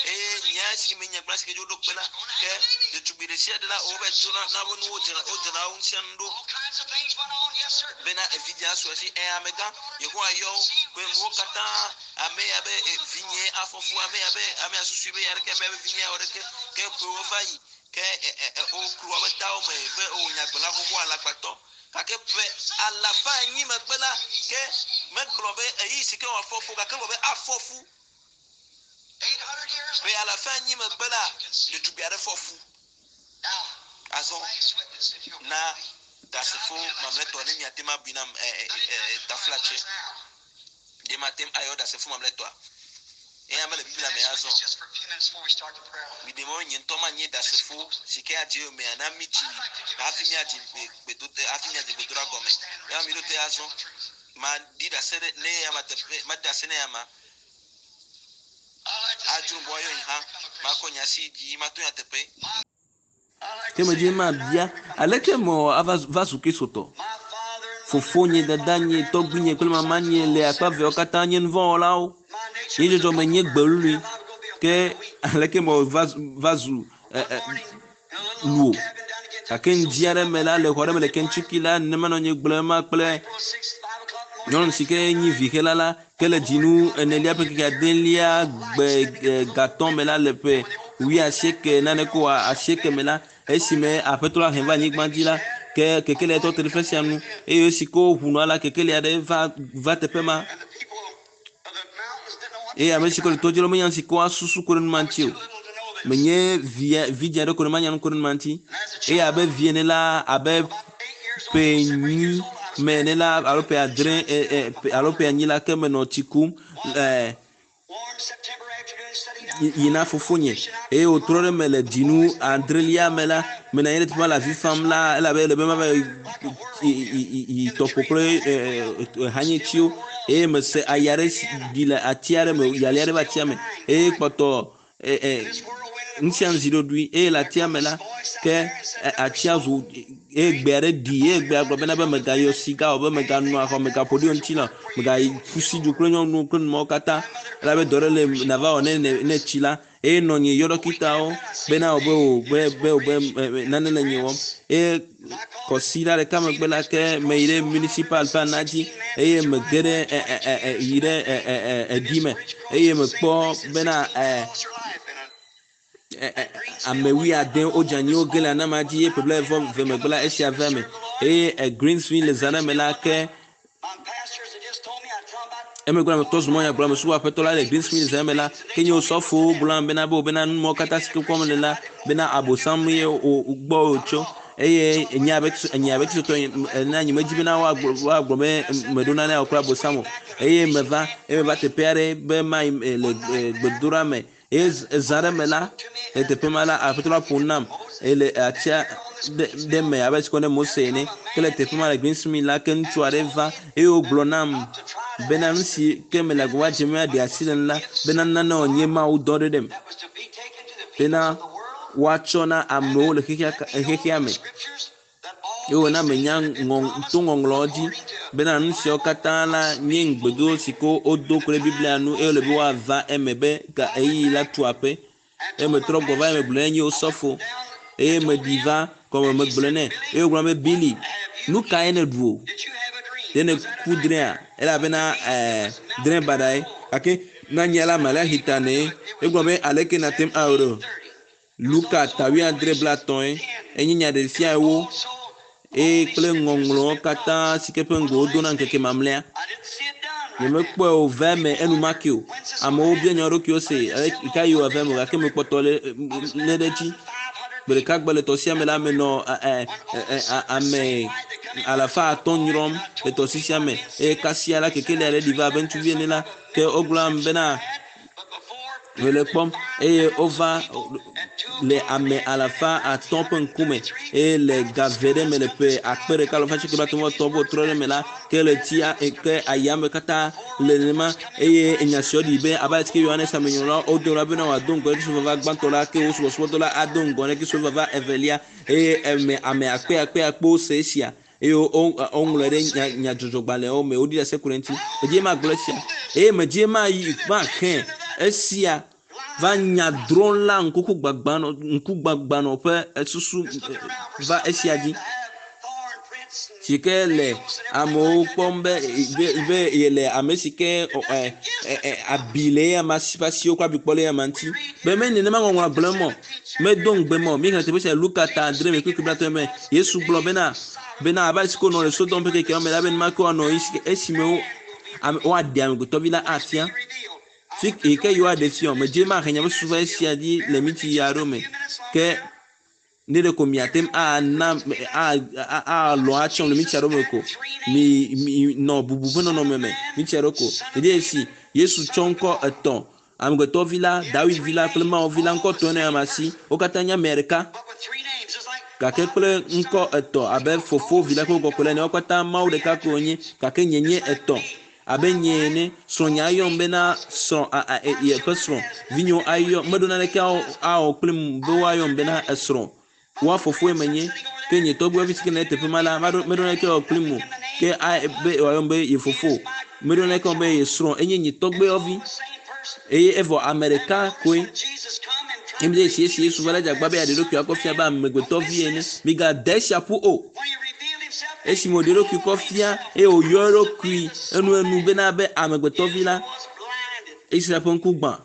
eye nya si me nyagblɔ si ke dzo ɖo kpe la ke ɖetugbui ɖe sia ɖe la wobe tso na na be nuwo dzra wodzra wo ŋutia nu ɖo bena evidzia su esi ɛ amegã yehowa yɔ wo be nuwo katã ame ya be e, vinye afɔ fu ame ya be ame ya susui be ya ɖeke ame ya be vinye ya wɔ ɖeke ke ƒewo va yi ke ɛ ɛ ɛ woklu wobe tawo me be o nyagblɔla xoxo alakpatɔ gake ƒe alafa enyi megbe la ke megblɔ be eyi si ke wòafɔ fu gake gblɔ be afɔ fu ƒe alafa enyi megbe la ɖetugbui aɖe fɔ fu azɔ na ɖasefo mamlɛtɔ ne miate ŋu abui nam ɛ ɛ ɛ taflatse ɖe mate ŋu ayɔ ɖasefo mamlɛtɔa eya mele biblia me azɔ miɖe mɔ nye ŋutɔ manye ɖasefo si ke adze yomea na mi tsi hafi miadze gbedo hafi miadze gbedoɖa gɔme eya mi ɖo te azɔ maɖi ɖase ɖe ne ya ma teƒe maɖi ɖase ne ya ma adzro bɔ ayɔ yi hã makɔ nya si dzi mato nyateƒe Ke medzi mabia aleke mewɔ ava va zu kristotɔ fofonye dadanye tɔgbuinye kple mamanye le akpa eveawo katã nye nuvɔ̃wɔlawo nye dzɔdzɔme nye gbelului ke aleke mewɔ va va zu ɛ ɛ luo gake ŋdi aɖe me la le xɔ aɖe me le Kentucky la nenema nɔ nye gblɔm ma kple nyɔnu si ke nyi vixela la ke le dzinu enelia ƒe keke adelia gbe e, gatɔ̃ me la le ƒe wuiasieke nane ko asieke me la esime aƒetɔ la hẽ va anyigba dzi la ke kekelia tɔ te ɖe ƒe sia nu eye esi ke woʋu nua la kekelia ɖe va va teƒe ma eye ame si ke le to dzi la menya nu si ke woasusu ku ɖe nu ma ŋuti o menye via vidzi aɖe ko ne manya nu ku ɖe nu ma ŋuti eye abe vi ene la abe ƒe enyi me ene la alo ƒe adre ɛ ɛ alo ƒe anyi la ke menɔ tsi kum ɛ yina fofonye eye wòtrɔ ɖe me le dzinu adrelia me la menɔ anyi ɖe teƒe ma le avi fam la elabe ele be mava yi yi yi tɔƒo kple ɛ hanyetsiwo eye mese aya ɖe si ɖi le ati aɖe me yali aɖe va atia me eye kpɔtɔ ɛ ɛ Ŋusia zi ɖoɖoe eye le atia me la ke atia zu eye gbe aɖe ɖi eye gbea gblɔ bena be megayɔ siga o be meganɔ axɔ megaƒo ɖi wo ŋuti la megayi ƒu du kple nyɔnuwo kple numawo katã elabe dɔ ɖe le nava wɔ ne ne tsi la eye nɔ nye yɔ ɖɔkitawo bena wo be o be be o be nane le nye wɔm eye kɔsi la ɖeka megbe la ke meyi ɖe municipal ƒe ana dzi eye mege ɖe ɛ ɛ ɛ yi ɖe ɛ ɛ edi me eye mekpɔ bena ɛ ame wuiade wodze anyi woge le anama dzi eye ƒe blaeve ve megbe la esia va eme eye Greensville le zã ɖe me la ke emegbe la metɔ zu mɔnya gblɔ ame subɔ aƒetɔ la le Greensville zã me la ke nye osɔfowo gblɔ bena be bena numɔwo katã si ke kpɔm le la bena abosam ye wo gbɔ wòtso eye nye abe nye abe kristotɔ ene nye medzi bena woagblɔ woagblɔ be meɖo nane awɔ kple abosam o eye meva eye meva teƒe aɖe be mayi le gbedoɖa me eye zã ɖe me la le teƒe ma la aƒetɔ la ƒo nam eye le atia ɖe me abe si ko ne Mose ene ke le teƒe ma le Greensmith la ke ŋutsu aɖe va eye wògblɔ nam bena nu si ke mele agbagba dzem aɖe asi le nu la bena nane wònye Mawu dɔ ɖe ɖem bena woatsɔ na amewo le xexea xexea me eye wòna menya ŋɔ to ŋɔŋlɔwo dzi bena nu siawo katã la nye ŋugbedodo si ke wodo ku ɖe Biblia nu eye wòle be woava eme be ga ɣeyiɣi la tu aƒe eye metrɔ gbɔ va eme gblɔ ne nye osɔfo eye meɖi va gɔme megblɔ nɛ eye wògblɔ be Billy nu kae nèɖu o ɖe nèku drẽa elabena ɛɛ drẽ baɖae gake na nye la Malachi ta ne egblɔ be aleke nate ŋu awɔ ɖo Luka ta wuiadre blatɔ̃e enye nyaɖeɖefia ewo eye kple ŋɔŋlɔwo katã si ke ƒe ŋgɔ wodo na ŋkeke mamlɛa nyemekpɔe o va eme enumake o amewo bia nya wo ɖokuiwo se ka yi wòava eme o gake mekpɔtɔ le lé ɖe edzi gbe ɖeka gbe le tɔsia me la menɔ ɛ ɛ ame alafa atɔ̃ nyrɔm le tɔsisia me eye kasia la kekeli aɖe ɖi va abe ŋutsuvi ene la ke wogblɔ am bena mele kpɔm eye wova le ame alafa atɔ̃ ƒe ŋkume eye le gave ɖe me le ƒe akpe ɖeka alafa asieke blaetɔ̃ vɔ etɔ̃ vɔ trɔ ɖe me la ke le tsia ke ayame katã le nenema eye enya siawo ɖi be abe ale si ke Yohanes amenyrɔla wodo la bena wòado ŋgɔ ne Kristo vava gbãtɔ la ke wo subɔsubɔdɔ la ado ŋgɔ ne Kristo vava evelia eye eme ame akpe akpe akpewo se esia eye woŋlɔe ɖe nya nyadzɔdzɔgbalẽwo me woɖi ɖase ku ɖe eŋuti medie magblɔ esia eye medie mayi maxe esia va nyadrɔ̃la ŋkukugbagbanɔ ŋkugbagbanɔ ƒe susu va esia dzi si ke le amewo kpɔm be be be yele ame si ke ɛ ɛ abi le eya ma si ƒe asiwo kple abikpɔ le eya ma ŋuti be me nenema ŋɔŋlɔ gblẽ mɔ medo ŋugbe mɔ mi xlẽ teƒe sia Luka ta adre me kpukpui blatɔ̃ me Yesu gblɔ bena bena abe ale si ko nɔ le Sodom ƒe kekeawo me la be nenema ke woanɔ esime wo ame woaɖe amegbetɔvi la afia fi yi ke yewoaɖe fiɔ medze mahe nye susu va esia dzi le miti ya aɖewo me ke ne ɖe ko miate ŋu ana alɔ atsɔm le miti aɖewo me ko mi mi nɔ bubu ƒe nɔnɔme me miti aɖewo ko ɖeɖe esi Yesu tsɔ ŋkɔ etɔ̃ amegbetɔvi la Dawid vi la kple Mawu vi la ŋkɔ tɔ̃ ne ame si wo katã nye ame ɖeka gake kple ŋkɔ etɔ̃ abe fofo vi la kple kɔkɔe la ene wo katã Mawu ɖeka ko wonye gake nye nye etɔ̃ abe nye ene srɔ̃nye ayɔm bena srɔ̃ yeƒe srɔ̃ vinyewo ayɔ meɖo naneke awɔ kplim be woayɔm bena esrɔ̃ woa fofoe menye ke nye tɔgbuiwo si ke le teƒe ma la meɖo naneke awɔ kplim o ke be woayɔm be ye fofo meɖo naneke awɔ be ye srɔ̃ enye nye tɔgbuiwo eye evɔ ame ɖeka koe emi ɖe esi esi Yesu va le dzagba be yeaɖe ɖokui akɔ fia be amegbetɔvi ene migade esia ƒu o esime wòɖe eɖokui kɔ fia eye wòyɔ eɖokui enuenu bena be amegbetɔvi la Israel ƒe ŋku gbã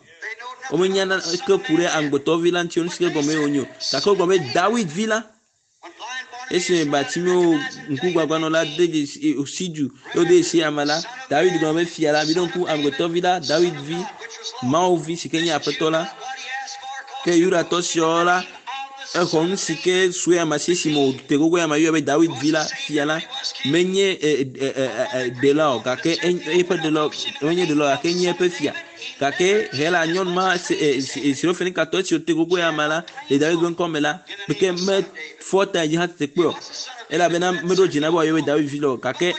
womenya naneke ku ɖe amegbetɔvi la ŋuti o nu si ke gɔme wònye o gake wogblɔ be Dawid vi la esime Bartimeo ŋkugbagbanɔla de dzesi si du eye wode dzesi ame la Dawid gblɔ be fia la miɖo ŋku amegbetɔvi la Dawid vi Mawu vi si ke nye aƒetɔ la ke Yudatɔ siawo la exɔ nu si ke sue ame si esime wòte gogo ame yɔe be Dawid vi la fia la menye ɖela o gake eƒe ɖela menye ɖela o gake enye eƒe fia gake hela nyɔnu ma Sirofenikatɔ esi wòte gogo ame la le Dawid ƒe ŋkɔ me la ke mefɔ ta dzi hã tete kpɔe o elabena meɖo dzi na be wòayɔ be Dawid vi la o gake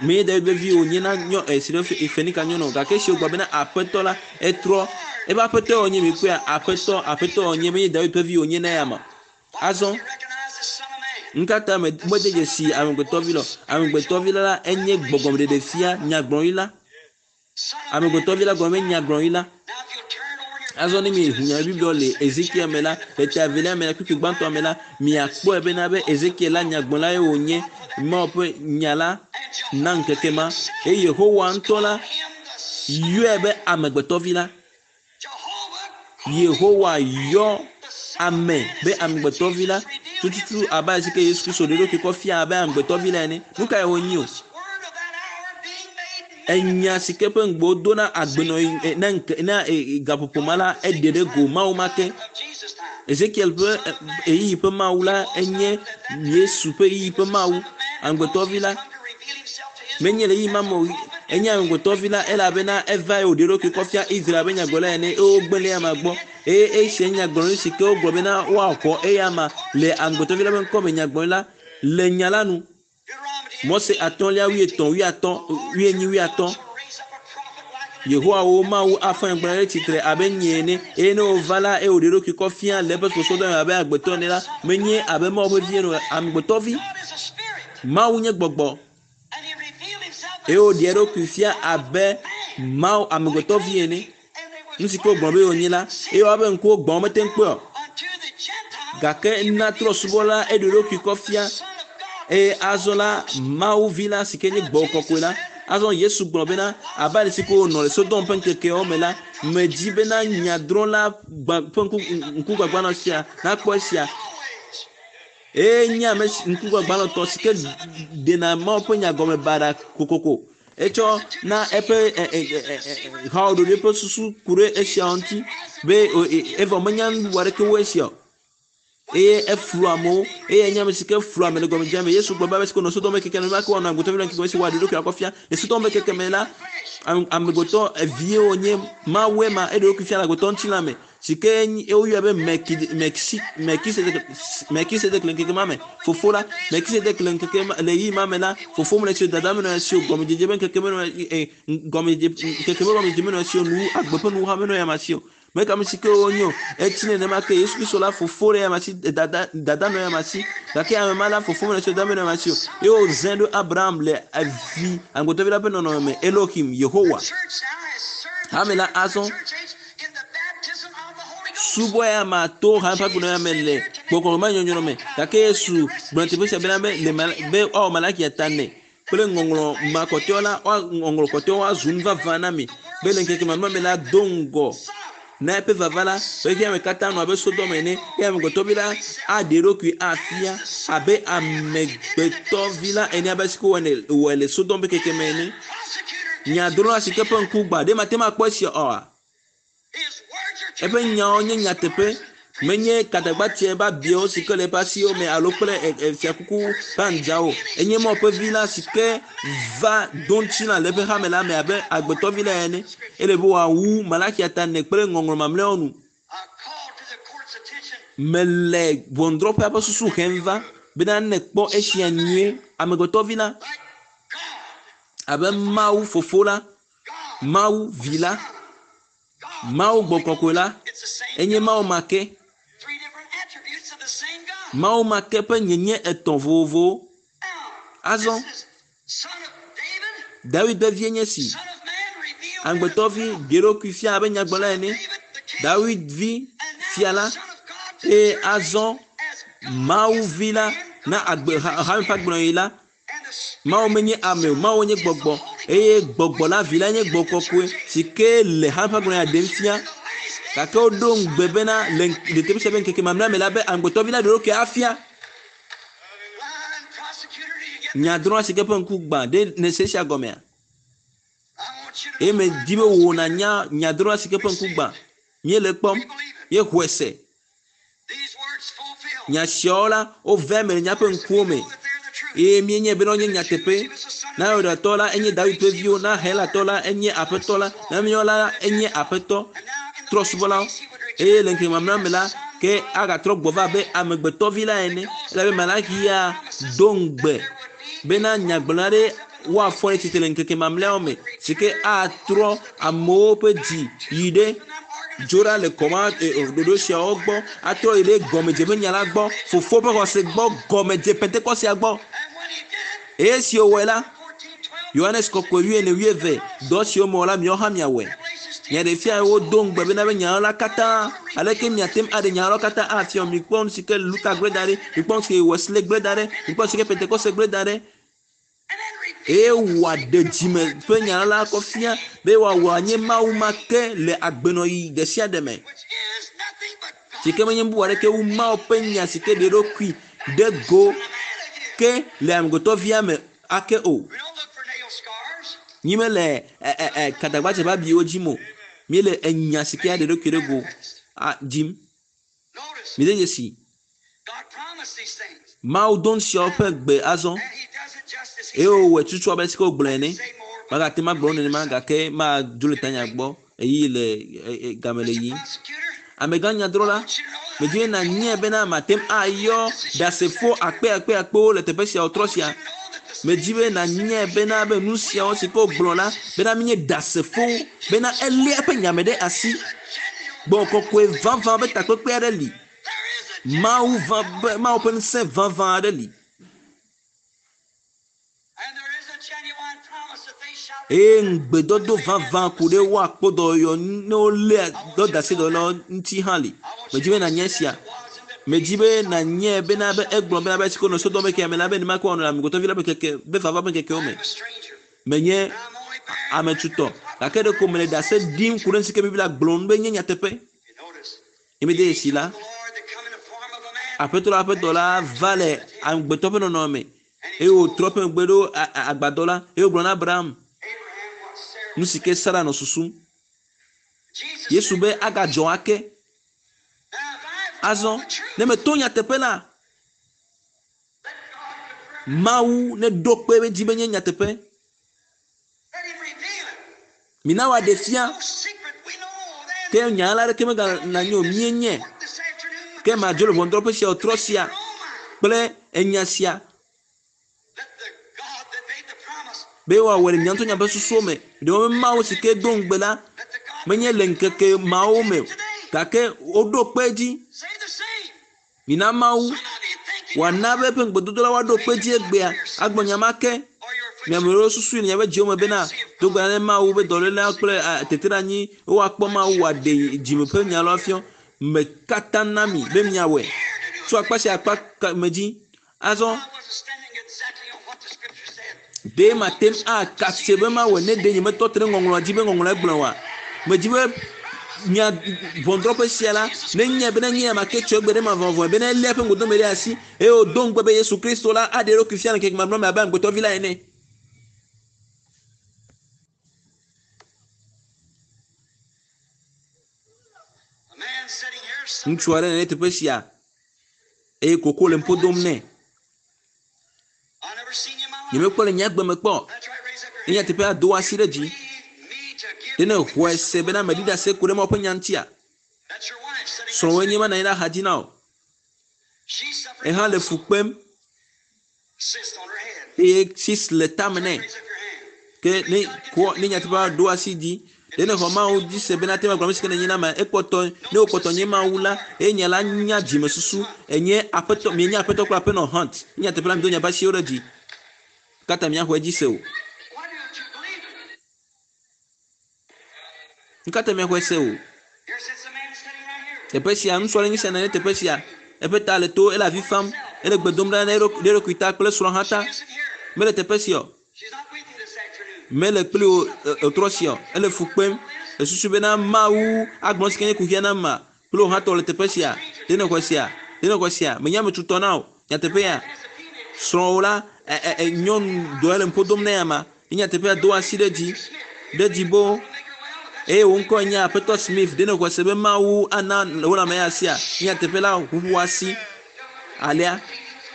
menye Dawid ƒe vi wònye na nyɔ Sirofenika nyɔnu o gake esi wògblɔ bena aƒetɔ la etrɔ Ebe aƒetɔ wònye mi kpɔa aƒetɔ aƒetɔ wònye menye David ƒe vi wònye na ya ma. Azɔ nkata me mede dzesi amegbetɔvi la amegbetɔvi la enye gbɔgbɔmeɖeɖefia nyagblɔɖi la. Amegbetɔvi la gɔme nyagblɔɖi la. Azɔ ne mi ʋu nya Biblia le Ezekiel me la le ta evelia me la kpukpui gbãtɔ me la miakpɔe bena be Ezekiel la nyagblɔla ye wònye Mawu ƒe nya la na ŋkeke ma eye Yehowa ŋutɔ la yɔe be amegbetɔvi la. Yehowa yɔ ame be amegbetɔvi la tututu abe ale si ke Yesu Kristo ɖe eɖokui kɔ fia abe amegbetɔvi la ene. Nu kae wònye o? Enya si ke ƒe ŋugbe wodo na agbenɔɣi na ŋke na gaƒoƒo ma la eɖe ɖe go Mawu ma ke. Ezekiel ƒe ɣeyiɣi ƒe Mawu la enye Yesu ƒe ɣeyiɣi ƒe Mawu. Amegbetɔvi la menye le ɣeyiɣi ma me o enye amegbetɔvi la elabena eva ye wòɖe eɖokui kɔ fia Israel be nyagblɔla ene eye wogblẽ ɖe eyama gbɔ eye esia nye nyagblɔɖi si ke wogblɔ bena woaxɔ eyama le amegbetɔvi la ƒe ŋkɔme nyagblɔɖi la le nya la nu. Mose atɔ̃lia wuietɔ̃ wuiatɔ̃ wuienyi wuiatɔ̃. Yehowa wo Mawu afɔ nyagblɔɖi ɖe tsitre abe nye ene eye ne wòva la eye wòɖe eɖokui kɔ fia le eƒe subɔsubɔdɔ me abe amegbetɔ ene la menye abe Mawu ƒe vi ene o amegbetɔvi. Mawu nye gbɔgbɔ eye wòɖe eɖokui fia abe Mawu amegbetɔvi ene. Nu si ke wogblɔ be wònye la eye woabe ŋkuwo gbã womete ŋu kpɔe o. Gake na trɔ̃subɔla eɖe eɖokui kɔ fia eye azɔ la Mawu vi la si ke nye gbɔgbɔ kɔkɔe la azɔ Yesu gblɔ bena abe ale si ke wònɔ le Sodom ƒe ŋkekeawo me la medzi bena nyadrɔ̃la gbã ƒe ŋku ŋkugbagbanɔ sia nakpɔ esia. Eye nye ame si ŋkugbagbanɔtɔ si ke ɖena Mawu ƒe nya gɔme baɖa kokoko. Etsɔ na eƒe hawo ɖoɖo eƒe susu ku ɖe esiawo ŋuti be evɔ menya nu bubu aɖeke wu esia o. Eye eflu amewo eye enye ame si ke flu ame le gɔmedzedzea me. Yesu gblɔ be ame si ke nɔ Sodom ƒe keke me nenema ke woanɔ amegbetɔvi la ŋkeke me si wòaɖe eɖokui akɔ fia. Le Sodom ƒe keke me la amegbetɔ evie wònye Mawue ma eɖe eɖokui fia le amegbetɔ ŋutilã me si ke woyɔe be Melkisedek le ŋkeke ma me. Fofo la Melkisedek le ŋkeke ma le ɣeyiɣi ma me la fofo menɔ esi o dada menɔ esi o gɔmedzedze ƒe ŋkeke menɔ gɔmedzedze ŋkeke ƒe gɔmedzedze menɔ esi o nu agbe ƒe nuwuha menɔ ya si o. Meka ame si ke wonye o etsi nenema ke Yesu Kristo la fofo ɖe ya si dada dada nɔ ya si gake ame ma la fofo menɔ esi o dada menɔ ya si o eye wòzãe ɖo Abraham le evi amegbetɔvi la ƒe nɔnɔme me Elohim Yehowa. Hame la azɔ subɔ ya ma to hame ƒe agbenɔɣi me le gbɔgbɔ me nyɔnyrɔ me gake Yesu gblɔ teƒe sia bena be le be woawɔ Malakia ta nɛ kple ŋɔŋlɔ makɔtɔewo la ŋɔŋlɔ kɔtɔewo azu nu vavã na mi be le ŋkeke mamlɛ me la do ŋgɔ na eƒe vava la xexea me katã nɔ abe Sodom ene eye amegbetɔvi la aɖe eɖokui afia abe amegbetɔvi la ene abe si ke wòwɔe le Sodom ƒe keke me ene. Nyadrɔ̃la si ke ƒe ŋku gbã ɖe mate ŋu akpɔ esia oa? Eƒe nyawo nye nyateƒe menye kadagbatsia ƒe abiawo si ke le eƒe asiwo me alo kple fiakuku ƒe andzawo. Enye Mawu ƒe vi la si ke va do ŋutilã le eƒe hame la me abe agbetɔvi la ene. Ele be wòawu Malakia ta ene kple ŋɔŋlɔ mamlɛawo nu. Mele ʋɔnudrɔ̃ƒea ƒe susu hem va bena ne kpɔ esia nyuie amegbetɔvi la abe Mawu fofo la, Mawu vi la, Mawu gbɔ kɔkɔe la enye Mawu ma ke. Mawu ma ke ƒe nyenye etɔ̃ vovovowo. Azɔ Dawid ƒe vie nye si. Amegbetɔvi ɖe eɖokui fia abe nyagblɔla ene. Dawid vi fia la eye azɔ Mawu vi la na agbe hame ƒe agbenɔɣi la Mawu menye ame o, Mawu nye gbɔgbɔ eye gbɔgbɔ la vi la nye gbɔgbɔ kɔkɔe si ke le hame ƒe agbenɔɣi ɖem fia. Gake woɖo ŋugbe bena le teƒe sia ƒe ŋkeke mamlɛa me la be amegbetɔvi la ɖe eɖokui afia. Nyadrɔ̃la si ke ƒe ŋku gbã ɖe nèse esia gɔmea? Eye medi be wò nànya nyadrɔ̃la si ke ƒe ŋku gbã. Míele ekpɔm, míexɔe se. Nya siawo la wova eme le míaƒe ŋkuwo me eye míenye bena wonye nyateƒe. Na Yudatɔ la enye Dawid ƒe viwo, na Helatɔ la enye Aƒetɔ la, na míawo la enye Aƒetɔ trɔ̃subɔlawo. Eye le ŋkeke mamlɛa me la ke agatrɔ gbɔ va abe amegbetɔvi la ene elabe Malakia do ŋugbe bena nyagblɔla ɖe woafɔ ɖe tsitre le ŋkeke mamlɛawo me si ke atrɔ amewo ƒe dzi yi ɖe dzo ɖa le kɔma ɖoɖo siawo gbɔ atrɔ yi ɖe gɔmedze ƒe nya la gbɔ fofo ƒe xɔse gbɔ gɔmedze pentekɔsia gbɔ eye si wòwɔe la Yohanes kɔkɔe wuiene wuieve dɔ siwo mewɔ la miawo hã miawɔe. Nya ɖe fia wodo ŋugbe bena be nya la katã aleke miate ŋu aɖe nya la katã afia mikpɔ nu si ke Luka gblẽ da ɖi, mikpɔ nu si ke Wesley gblẽ da ɖi, mikpɔ nu si ke Pentekoste gblẽ da ɖi. Eye wòaɖe dzime ƒe nya la kɔ fia be wòawɔ anye Mawu ma ke le agbenɔɣi ɖe sia ɖe me. Si ke menye bubu aɖeke wu Mawu ƒe nya si ke ɖe eɖokui ɖe go ke le amegbetɔvia me ake o. Nyi mele kadagbadze ƒe abiwo dzim o. Míele enya si ke aɖe eɖokui ɖe go dzim. Mide dzesi. Mawu do nu siawo ƒe gbe azɔ. Eye wòwɔe tutu abe si ke wògblɔe ene. Magate ŋu agblɔ nenema gake madzo le tanya gbɔ eye le game le yiyim. Amegã nyadrɔla, medzi be nànyae bena mate ŋu ayɔ ɖasefo akpe akpe akpewo le teƒe sia wòtrɔ sia. Medzi be nànyae bena be nu siawo si ke wògblɔ la bena míenye ɖasefo bena eléa eƒe nya me ɖe asi. Gbɔgbɔ kɔkɔe vavã be takpekpe aɖe li. Mawu va be Mawu ƒe ŋusẽ vavã aɖe li. Eye ŋugbedodo vavã ku ɖe woakpɔ dɔyɔyɔ ne woléa dɔdeasi dɔwɔlawo ŋuti hã li. Medzi be nànya esia. Medzi be nànyae bena be egblɔ bena be esi ke wonɔ Sodom eke ame la be nenema ke woanɔ le amegbetɔvi la ƒe keke be vava ƒe ŋkekewo me. Menye ame tutɔ gake ɖeko mele ɖase ɖim ku ɖe nu si ke Biblia gblɔ nu be nye nyateƒe. Emede dzesi la, Aƒetɔ la ƒe dɔla va le amegbetɔ ƒe nɔnɔme eye wòtrɔ eƒe megbe ɖo agbadɔ la eye wògblɔ na Abraham nu si ke Sara nɔ susum. Yesu be agadzɔ ake. Azɔ ne meto nyateƒe la, Mawu neɖo kpe edzi be nye nyateƒe. Mina wòaɖe fia ke nya la ɖeke megana nyo míenye. Ke madzo le ʋɔnudrɔ̃ƒe sia wòtrɔ sia kple enya sia be woawɔe le mia ŋutɔ miaƒe susuwo me. Ɖewo be Mawu si ke do ŋugbe la menye le ŋkeke mawo me o gake woɖo kpe edzi. Mina Mawu wòana be eƒe ŋugbedodo la woaɖo kpe edzi egbea agblɔ nya ma ke. Miame ɖewo susui le miaƒe dziwo me bena do gbe ɖa ne Mawu be dɔléla kple teteɖeanyi woakpɔ Mawu wòaɖe dzime ƒe nya la fia. Me katã na mi be miawɔe tso akpa sia akpa me dzi. Azɔ ɖe mate ŋu akatse be mawɔe ne ɖe nyemetɔ te ɖe ŋɔŋlɔa dzi be ŋɔŋlɔa gblɔ oa. Medzi be mia ʋɔnudrɔ̃ƒe sia la nenyae be nenye ame ke tso egbe ɖe mavɔvɔe bena elé eƒe ŋgɔdome ɖe asi eye wòdo ŋugbe be Yesu Kristo la aɖe eɖokui fia le ŋkeke mamlɛa me abe amegbetɔvi la ene. Ŋutsu aɖe le teƒe sia eye koko le ŋpo dom nɛ. Nyemekpɔ le nye agbe me kpɔ. Nye nyateƒea do asi ɖe dzi. Ɖe ne xɔe se bena meɖi ɖase ku ɖe Mawu ƒe nya ŋutia? Srɔ̃wòe nye ma nɔ anyi ɖe axa dzi na wò. Ehã le fu kpem eye sis le tame nɛ. Ke ne kɔ ne nyateƒea ɖo asi dzi. Ɖe ne xɔ Mawu dzi se bena te ma gblɔ ame si ke nenye na ma ekpɔtɔ ne wokpɔtɔ nye Mawu la eye nya la nya dzimesusu enye aƒetɔ mienye aƒetɔ kple aƒenɔ Hunt. Nye nyateƒe la mi do miaƒe asiwo ɖe dzi. Katã miaxɔe dzi se o. Nu katã miaxɔe se o. Teƒe sia ŋutsu aɖe nye sia nɔ anyi ɖe teƒe sia. Eƒe ta le to ele avi fam ele gbe dom ɖa na eɖokui ɖe eɖokui ta kple srɔ̃ hã ta. Mele teƒe sia o. Mele kpli wo etrɔ sia o. Ele fu kpem. Esusu bena Mawu agblɔ si ke nye kuxia na ma kple wò hã tɔ le teƒe sia. Ɖe ne xɔe sia. Ɖe ne xɔe sia. Menye ame tutɔ na o. Nyateƒe ya. Srɔ̃wò la ɛ ɛ nyɔnu dɔ le ŋpo dom nɛ ama. Nye nyateƒea do asi ɖe dzi. Ɖe dzi bo. Eye wò ŋkɔe nye Aƒetɔ Smith. Ɖe ne xɔe se be Mawu ana wò lãme ya sia. Nye nyateƒe la ʋuʋu asi. Alea.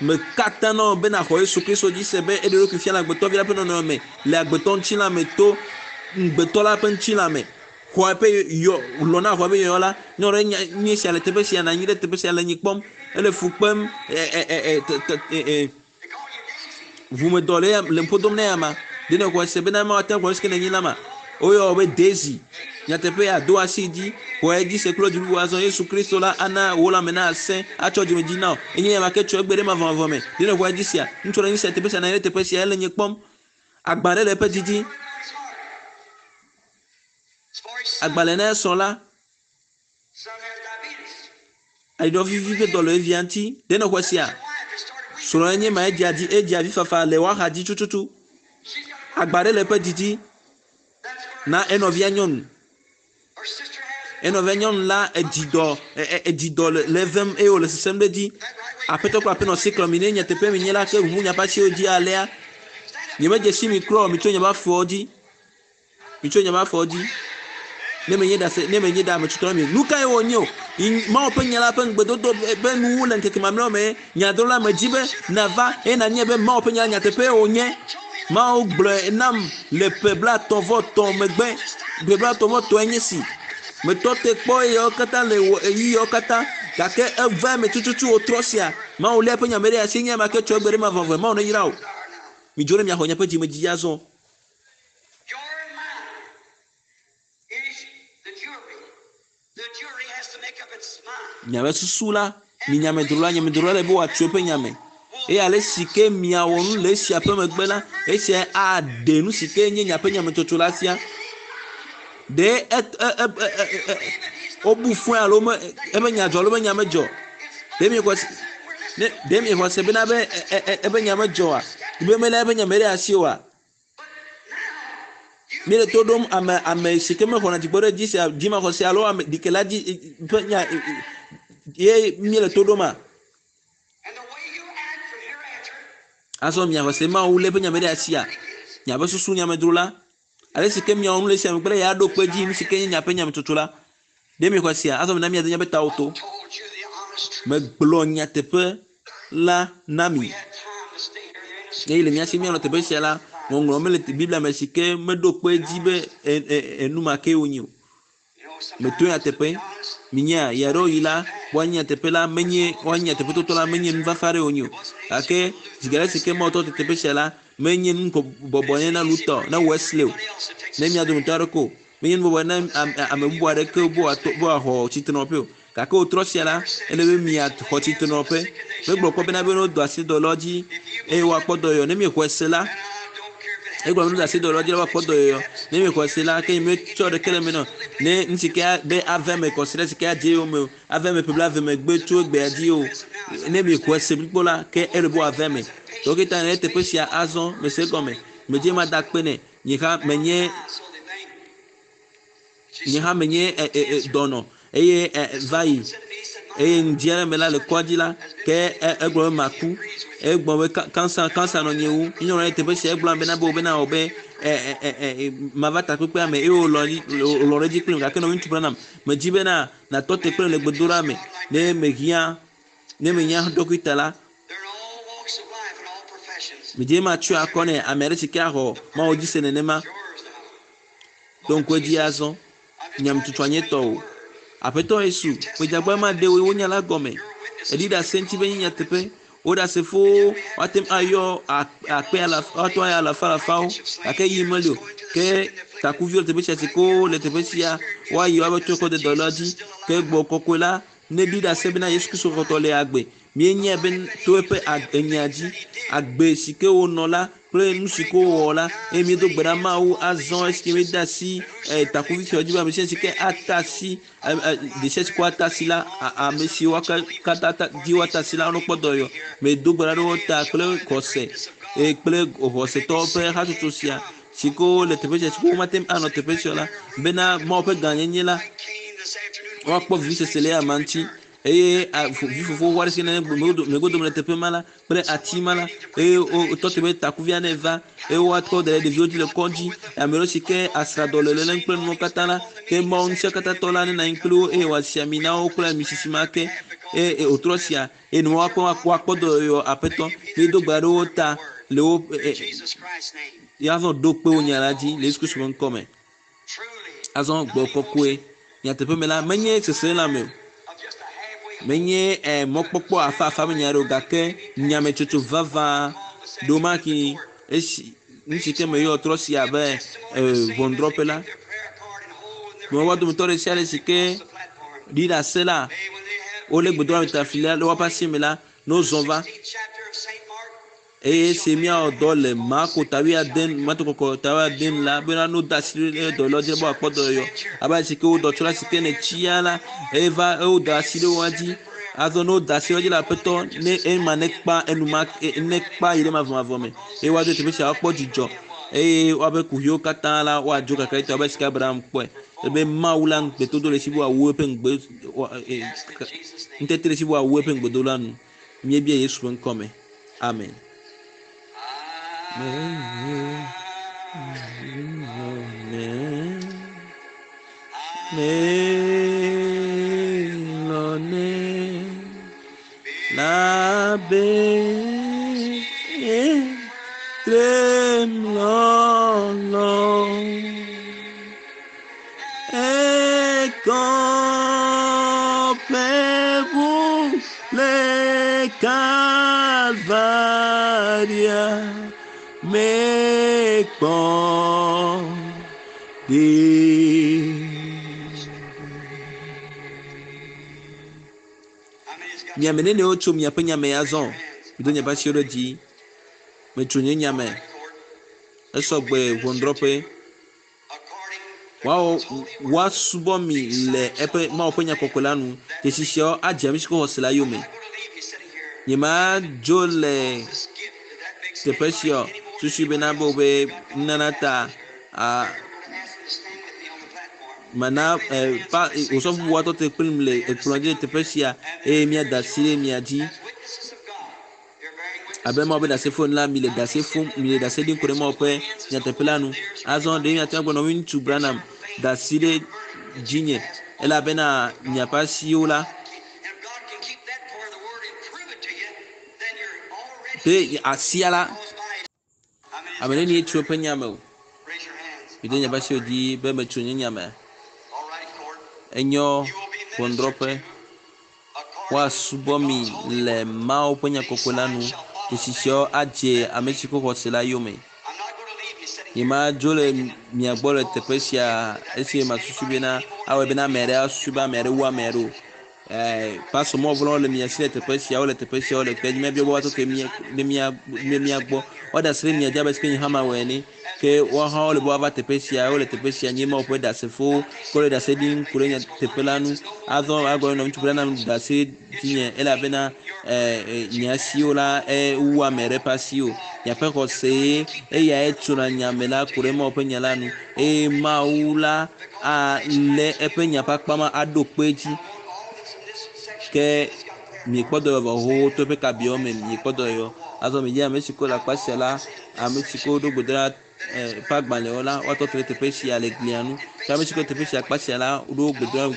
Me katã nɔ be nàxɔ Yesu Kristo dzi se be eɖe eɖokui fia le agbetɔvi la ƒe nɔnɔme le agbetɔ ŋutilã me to ŋugbetɔ la ƒe ŋutilã me. Xɔ eƒe yɔ lɔ na xɔ eƒe yɔyɔ la. Nyɔnu ɖe nya nye sia le teƒe sia nɔ anyi ɖe teƒe sia le nyi kpɔm. Ele fu kpem ɛ ɛ ɛ ɛ te te ɛ ɛ ʋumedɔ le le ŋpo dom nɛ ama. Ɖe ne xɔe se bena Mawu ate ŋu agblɔ nu si ke nenye la ma. Woyɔ be Daisy. Nyateƒe ado asi dzi. Xɔ edzi se kple dziɖuɖu azɔ Yesu Kristo la ana wò lãme na asẽ atsɔ dzimedzi na wò. Enye nya ke tso egbe ɖe mavɔmavɔ me. Ɖe ne xɔ edzi sia. Ŋutsu ɖe nyi sia teƒe sia na ɖe teƒe sia ele nye kpɔm. Agba ɖe le eƒe dzi dzi. Agbalẽ na esrɔ̃ la. Aɖiɖɔ vivi ƒe dɔ le evia ŋuti. Ɖe ne xɔ sia. Srɔ̃e nye ma edzia dzi edzia vifafa le woaxa dzi tututu. Agba ɖe le eƒe dzi dzi na enɔvia nyɔnu. Enɔvia nyɔnu la edzi dɔ edzi dɔ le evem eye wòle sesem ɖe edzi. Aƒetɔ kple aƒenɔ si klɔ mi ne nyateƒe mi nye la ke ʋuʋu miaƒe asiwo dzi alea. Nyemedze si mi klɔ mi tso nye afɔwo dzi. Mi tso nye afɔwo dzi. Ne menye ɖase ne menye ɖe ame tutɔ na mi. Nu kae wònye o? Mawu ƒe nya la ƒe ŋugbedodo be nuwu le ŋkeke mamlɛawo me. Nyadrɔla me dzi be nava eye nanye be Mawu ƒe nya la nyateƒe wònye. Mawu gblɔe nam le ƒe blaetɔ̃ vɔ etɔ̃ megbe. Ƒe blaetɔ̃ vɔ etɔ̃e nye si. Metɔ te kpɔ eyawo katã le wɔ eyiyawo katã gake eva eme tututu wòtrɔ sia. Mawu lé eƒe nya me ɖe asi nye ame ke tso egbe ɖe mavɔmavɔ. Mawu neyra wò. Midzo ɖe miaxɔ miaƒe dzimedzi azɔ. Miaƒe susu la, mi nyamedrola, nyamedrola le be wòatso eƒe nyame. Eye ale si ke miawɔ nu le esia ƒe megbe la, esia aɖe nu si ke nye miaƒe nyametsotso la fia. Ɖe e e e e wobu fɔe alo me eƒe nya dzɔ alo eƒe nya medzɔ. Ɖe miexɔ se ne ɖe miexɔ se bena be eƒe nya medzɔa? Be mele eƒe nya me ɖe asi oa? Míele to ɖom ame ame si ke mexɔna dzigbɔ ɖe dzi sia dzimaxɔse alo ame ɖikela dzi ƒe nya ye míele to ɖoma. Azɔ miaxɔ se Mawu lé eƒe nya me ɖe asia. Miaƒe susu nyamedro la. Ale si ke miawɔ nu le esia megbe la, ya ɖo kpe dzi nu si ke nye miaƒe nyametsotso la. Ɖe miexɔ sia? Azɔ mina miade miaƒe tawo to. Megblɔ nyateƒe la na mi. Eye le mía si míanɔ teƒe sia la, ŋɔŋlɔ mele Biblia me si ke meɖo kpe dzi be enu ma ke wònye o. Meto nyateƒe. Minya ya ɖewo yi la, woanye nyateƒe la menye woanye nyateƒetotɔ la menye nufafa aɖe wònye o. Gake zi geɖe si ke Mawu tɔ te teƒe sia la, menye nu bɔbɔ ne na Luther, na Wesley o, ne mia dometɔ aɖeke o. Menye nu bɔbɔ ne ame bubu aɖeke be wòato be wòaxɔ tsitrenɔƒe o. Gake wòtrɔ sia la, ele be miaxɔ tsitrenɔƒe. Megblɔ kpɔ bena be ne wodo asi dɔlɔ dzi eye woakpɔ dɔyɔyɔ. Ne miexɔe se la, egblɔ be ne wodo asi dɔlɔ dzi la woakpɔ dɔyɔyɔ. Ne miexɔe se la, ke nyemetsɔ ɖeke le eme na o. Ne nu si ke be ave me kɔsiɖa si ke adze yome o, ave me ƒe blaeve megbe tso egbea dzi o. Ne miexɔe se blibo la, ke ele be wòave me. Dɔkita ne teƒe sia azɔ mese egɔme. Medze mada akpe nɛ. Nye hã menye nye hã menye dɔnɔ eye va yi eye ŋdi aɖe me la le kɔdzi la ke egblɔ be maku. Egblɔ be kansa kansa nɔ nye ŋu. Nyɔnu ɖe teƒe sia egblɔ bena be wòbena wò be mava takpekpea me eye wòlɔ̃ wòlɔ̃ ɖe edzi kplim gake nɔvi ŋutsu Branham medzi bena natɔ te kple le gbedoɖa me ne mehiã ne menya dɔkita la. Medze matsɔe akɔ nɛ ame aɖe si ke axɔ Mawu dzi se nenema. Ɖo ŋku edzi azɔ. Nyametsotsoa nye tɔ o. Aƒetɔ Yesu, medzagba ma ɖe wo nya la gɔme. Eɖi ɖase ŋuti be nye nyateƒe. Wo ɖasefowo woate ŋu ayɔ akpe alafa, woate ŋu ayɔ alafa alafawo gake yi meli o. Ke takuviwo le teƒe sia si ke wole teƒe sia woayi woabe to kɔ de dɔlɔ dzi. Ke gbɔ kɔkɔe la ne ɖi ɖase bena Yesu Kristo xɔtɔ le agbe. Míenyae be to eƒe enya dzi agbe si ke wònɔ la kple nu si ke wòwɔ la eye míedo gbe ɖa Mawu azɔ esi míede asi takuvi sia dzi be ame sia si ke ata asi ɖe sia si ke woata asi la ame siwo katã dzi woata asi la wonekpɔ dɔyɔ. Medo gbe ɖa ɖe wo ta kple xɔse eye kple xɔsetɔwo ƒe hatsotso sia si ke wole teƒe sia si ke womate ŋu anɔ teƒe sia o la bena Mawu ƒe gãnyenye la woakpɔ vivisese le ama ŋuti. Eye vifofo aɖe si ne megodome le teƒe ma la kple ati ma la eye wotɔ te be takuvia ne va eye woakɔ da ɖe ɖeviwo dzi le kɔdzi. Ame ɖewo si ke asrãdɔ le lélem kple nuwo katã la ke Mawu ŋusẽkatãtɔ la nenɔ anyi kpli wo eye wòasi ami na wo kple ami sisi ma ke eye wòtrɔ sia eye nua woakpɔ woakpɔ dɔyɔyɔ aƒetɔ. Míedo gbe ɖe wo ta le wo azɔ ɖo kpe wo nya la dzi le Yesu Kristo ƒe ŋkɔ me. Azɔ gbɔ kɔkɔe nyateƒe me la menye seselelãme o. Menye mɔkpɔkpɔ afafa me nya ɖe o gake nyametsotso vavã ɖomaki esi Nu si ke meyɔ trɔ sia abe ʋɔnudrɔ̃ƒe la. Woa dometɔ ɖe sia ɖe si ke ɖi ɖase la, wolé gbedoxɔmetafli la le woƒe asi me la, ne wozɔ va. Eye esi míawɔ dɔ le Marko ta wuiade, Marko kɔkɔ ta wuiade nu la, bena ne wode asi ɖe dɔyɔlawo dzi be woakpɔ dɔyɔyɔ. Abe ale si ke wodɔ tso la si ke ne tsia la, eva wode asi ɖe woa dzi. Azɔ ne wode asi ɖe wo dzi le aƒetɔ ne ema nekpa enumake nekpa yi ɖe mavɔmavɔ me eye woado teƒe sia woakpɔ dzidzɔ eye woaƒe kuxiwo katã la woadzo kakaɖitɔ abe si ke Abraham kpɔe ebe Mawu la ŋugbedodo le esi be wòawu eƒe ŋugbe ŋutete le esi be wòawu eƒe ŋugbedodo la nu. Míebia Yesu ƒe ŋkɔ me. Amen. Calvaria me kpɔ Miame nene wotso miaƒe nyame azɔ. Mido miaƒe asiwo ɖe dzi. Metso nye nyame. Esɔgbe ʋɔnudrɔ̃ƒe. Woawɔ woasubɔ mi le eƒe Mawu ƒe nya kɔkɔe la nu. Dzesi siawo adze ame si ke xɔ se la yome. Nyemadzo le teƒe sia o. Susu bena be wobe nunana ta a mana pa osɔfo bubu atɔ te kplim le ekplɔ dzi le teƒe sia eye míada asi ɖe mia dzi. Abe Mawu ƒe ɖasefo ene la, mi le ɖase fom, mi le ɖase ɖim ku ɖe Mawu ƒe nyateƒe la nu. Azɔ ɖe miate ŋu agblɔ nɔviŋutsu Branham da asi ɖe dzinye elabena miaƒe asiwo la be asia la ame nenie tso eƒe nyame o. Mido miaƒe asiwo dzi be metso nye nyame. Enyo ʋɔnudrɔ̃ƒe. Woasubɔ mi le Mawu ƒe nya kɔkɔe la nu. Dzesi siawo adze ame si ke xɔ se la yome. Nyemadzo le mia gbɔ le teƒe sia esi masusu bena awɔe bena ame aɖe asusu be ame aɖe wu ame aɖe o. Pastor mɔvlɔwo le mia si le teƒe sia, wole teƒe sia, wole kpe dzi. Míabia be woatɔ te mía ɖe mía ɖe mía gbɔ. Woada asi ɖe mia dzi abe si ke nye hã mawɔe ene. Ke woawo hã wole be woava teƒe sia, wole teƒe sia nye Mawu ƒe ɖasefowo ke wole ɖase ɖim ku ɖe nya teƒe la nu. Azɔ agblɔ nɔ ŋutsu Branham da asi dzinye elabena nye asiwo la ewu ame ɖe ƒe asi o. Miaƒe xɔse eyae tsona nyame la ku ɖe Mawu ƒe nya la nu eye Mawu la alé eƒe nya ƒe akpa ma aɖo kpe edzi. Ke miekpɔ dɔyɔ vɔ xoxo to eƒe kabiawo me miekpɔ dɔyɔ. Azɔ midzi ame si ke le akpa sia la, ame si ke woɖo gbedoɖa ƒe agbalẽwo la, woatɔ te ɖe teƒe sia le glia nu. Ke ame si ke teƒe sia akpa sia la, woɖo gbedoɖa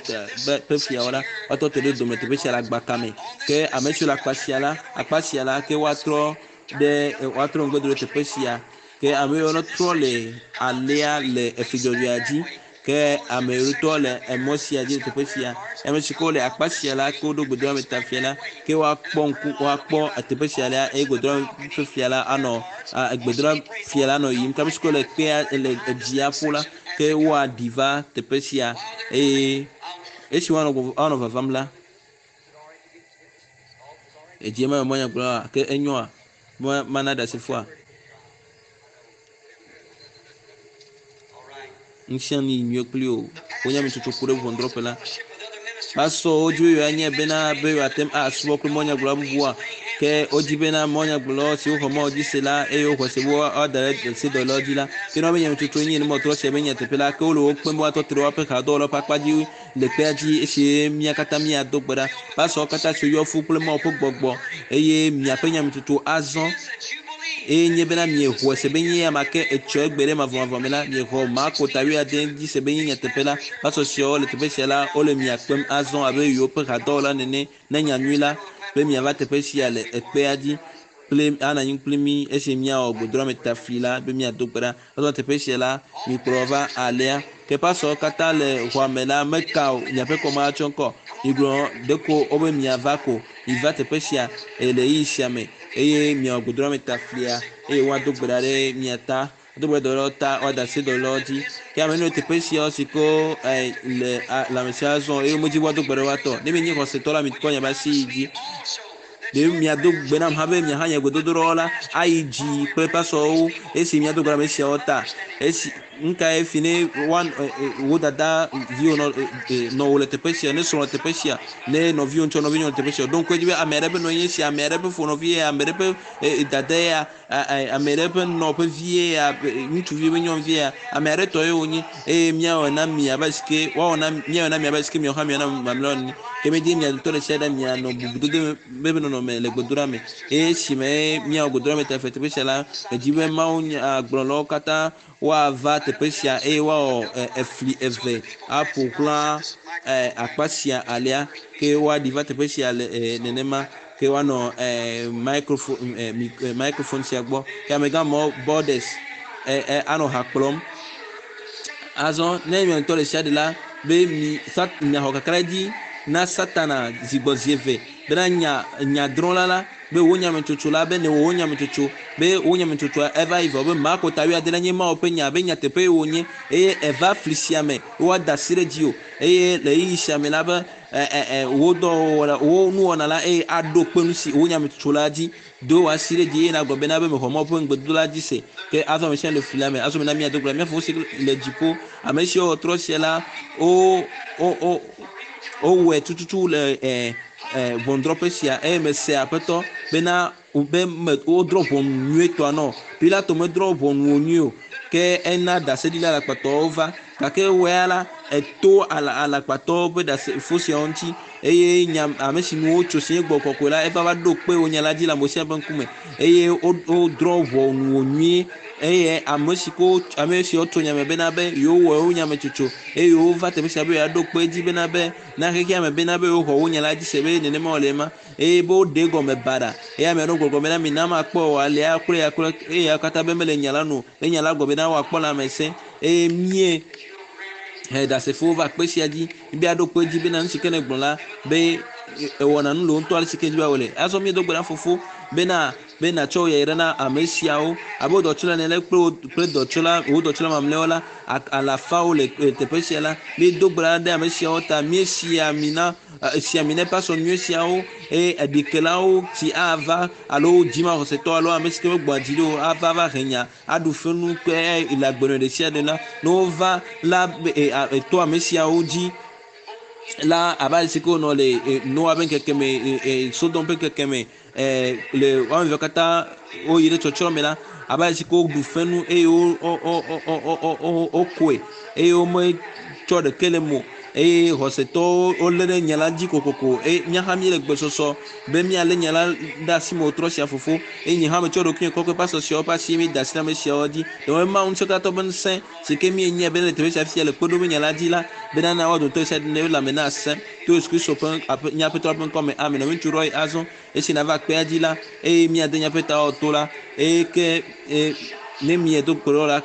ƒe fiawo la, woatɔ te ɖe dome teƒe sia le agbaka me. Ke ame siwo le akpa sia la, akpa sia la, ke woatrɔ ɖe woatrɔ ŋgɔ do ɖe teƒe sia. Ke ame yiwo trɔ le alea le efli dzɔdzɔea dzi. Ke ame yiwo tɔ le emɔ sia dzi le teƒe sia. Ame si ke wole akpa sia la, ke woɖo gbedoɖa fia la, ke woakpɔ ŋku, woakpɔ teƒe sia la eye gbedoɖa ƒe fia la anɔ gbedoɖa fia la anɔ yiyim. Ke ame si ke wole kpea le edzia ƒo la, ke woaɖi va teƒe sia eye esi woanɔ woanɔ vavam la, edzi ma me mɔnyagblɔ ke enyoa mana ɖasefoa. Ŋusẽ nu yi nyuie kpli o. Wonya me tsotso ku ɖe ʋɔnudrɔ̃ƒe la. Pastor wodzi be yewoanye bena be yewoate ŋu asubɔ kple mɔnyagblɔla bubua. Ke wodzi bena mɔnyagblɔlawo siwo xɔ Mawu dzi se la eye woxɔ se be woada ɖe sedɔlawo dzi la, ke ne woabe nyametsotso nye ne mɔtrɔ sia be nyateƒe la, ke wole wo kpem be woatɔ te ɖe woaƒe hadɔwɔlawo ƒe akpa dzi le kpea dzi esi mía katã míado gbe ɖa. Pastorwo katã siwo yɔ fũ kple Mawu ƒe gbɔgbɔ eye miaƒe nyametsotso azɔ eye nye bena miexɔe se be nye ame ke etsɔ egbe ɖe mavɔmavɔ me la, miexɔ Marko ta wuiade dzi se be nye nyateƒe la. Pastor siawo le teƒe sia la, wole mia kpem azɔ abe yewoƒe hadɔwɔla nene ne nyanyui la be miava teƒe sia le ekpea dzi kple anɔ anyi kpli mí esi míawɔ gbedoɖametafli la be míado gbe ɖa. Azɔ teƒe sia la, mikplɔ va alea. Ke pastorwo katã le xɔa me la meka o, miaƒe kɔma atsɔ ŋkɔ. Migblɔ ɖeko wobe miava ko. Miva teƒe sia le ɣeyiɣi sia me eye miawɔ gbedoɖametaflia eye woado gbe ɖa ɖe mia ta. Do gbe dɔlawo ta woada asi dɔlawo dzi. Ke ame yiwo le teƒe sia si ke le lãmesia zɔm eye womedzi be woado gbe ɖe woatɔ. Ne mienye xɔsetɔ la, mikɔ miaƒe asi yi dzi. Ɖe miado gbe nam hã be miaha nye gbedodoɖawo la ayi dzi kple pasɔwo esi miado gbe ɖe ame siawo ta. Esi nukae fi ne woa wo dada viwo nɔ nɔ wo le teƒe sia, ne srɔ̃ le teƒe sia, ne nɔviwo ŋutɔ nɔvinyɔnu le teƒe sia. Ɖo ŋku edzi be ame aɖe ƒe nɔ nye sia, ame aɖe ƒe fonɔvi ya, ame aɖe ƒe dada ya, ame aɖe ƒe nɔ ƒe vie ya, ŋutsuvi ƒe nyɔnuvi ya, ame aɖe tɔ ye wonye eye míawɔ na mi abe si woawɔ na míawɔ na mi abe si ke miawo hã miawɔ na mamlɛawo ene. Ke míedi mia dometɔ ɖe sia ɖe mianɔ bubudodo be nɔnɔme le gbedoɖa me eye esime míawɔ gbedoɖa me teƒe teƒe sia la, medzi be Mawu nyagblɔlawo katã woava teƒe sia eye woawɔ efli eve aƒo xlã akpa sia alea ke woaɖi va teƒe sia le nenema ke woanɔ microphone microphone sia gbɔ ke amegã mɔ borders anɔ ha kplɔm. Azɔ ne mia ŋutɔ ɖe sia ɖe la be mi miaxɔ kakaɖedzi na Satana zi gbɔ zi eve bena nya nyadrɔ̃la la be wo nyametsotso la be ne wo nyametsotso be wo nyametsotsoa eva yi vɔ be Marko ta wuiade la nye Mawu ƒe nya be nyateƒe wonye eye eva fli sia me woada asi ɖe dzi o eye le ɣeyiɣi sia me la be wo dɔwɔwɔ wo nuwɔna la eye aɖo kpe nu si wo nyametsotso la dzi do wò asi ɖe dzi eye nagblɔ bena be mexɔ Mawu ƒe ŋugbedodo la dzi se ke azɔ ame sia le fli la me azɔ mena míado gbe ɖa mía fofo si le dziƒo ame siwo trɔ sia la wo wo wo wowɔe tututu le ʋɔnudrɔ̃ƒe sia eye mese aƒetɔ bena be me wodrɔ̃ ʋɔnu nyuietɔa nɔ Pilato medrɔ̃ ʋɔnu wo nyuie o ke ena ɖaseɖila alakpatɔwo va gake wɔe la eto ala alakpatɔwo ƒe ɖasefo siawo ŋuti eye nya ame si nu wotso si nye gbɔ kɔkɔe la eva va ɖo kpe wo nya la dzi le ame sia ƒe ŋkume eye wodrɔ̃ ʋɔnu wo nyuie eye ame si ko ame siwo tso nya me bena be yewowɔ wo nyametsotso eye wova teƒe sia be yewoaɖo kpe edzi bena be na xexea me bena be yewoxɔ wo nya la dzi se be nenema wòle ema eye be woɖe egɔme baɖa eye ame aɖewo gbɔgblɔ bena mina makpɔ o alea kple ya kple eye katã be mele nya la nu o be nya la gblɔ bena woakpɔ lãmesẽ eye mie he ɖasefowo va kpe sia dzi be aɖo kpe edzi bena nu si ke ne gblɔ la be ewɔna nu le wo ŋutɔ ale si ke dzi be wòle azɔ míedo gbe ɖa fofo bena be natsɔ yayra na ame siawo abe wo dɔtsola ene kple wo kple dɔtsola wo dɔtsola mamlɛawo la alafawo le teƒe sia la míedo gbe ɖa ɖe ame siawo ta míesi ami na esi ami na pasɔ nyui siawo eye eɖikelawo si ava alo dzimaxɔsetɔ alo ame si ke megbɔa dzi ɖi o ava va he nya aɖu fenu kple le agbenɔnɔ ɖe sia ɖe la ne wova la to ame siawo dzi la abe ale si ke wonɔ le Noa ƒe ŋkeke me Sodom ƒe ŋkeke me le woame eve katã woyi ɖe tsɔtsrɔ̃ me la abe ale si ke woɖu fenu eye wo wo wokoe eye wometsɔ ɖeke le mo eye xɔsetɔwo wolé ɖe nya la dzi kokoko eye mía hã míele gbesɔsɔ be míalé nya la ɖe asi me wòtrɔ sia fofo eye nye hã metsɔ ɖokuinye kɔkɔe pasɔ siawo ƒe asi mi da asi ɖe ame siawo dzi ɖewoe Mawu ŋusẽkatã ƒe ŋusẽ si ke míenyae be le teƒe sia fia le kpe ɖom nya la dzi la bena na woa dometɔ sia ɖe lãme na asẽ to Yesu Kristo ƒe aƒe nye aƒetɔ ƒe ŋkɔ me amen. Nɔviŋutsu Roy azɔ esi nava kpea dzi la eye míade míaƒe tawo to la eye ke ne miedo gbe ɖa la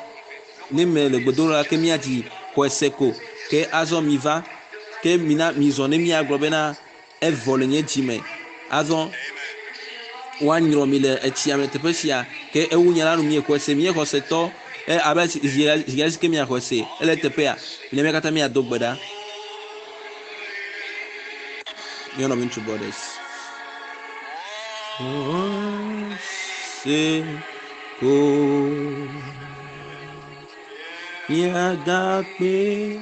ne mie le gbedoɖa la ke míadzi xɔe se ko ke azɔ mi va ke mina mizɔ ne míagblɔ bena evɔ le nye dzi me azɔ woanyrɔ mi le etsia me teƒe sia ke ewu nya la nu miexɔe se mie xɔsetɔ abe zi zi ke miaxɔe se ele teƒea mina mía katã míado gbe ɖa. Mía nɔviŋutsu Borders. Se ko miagakpe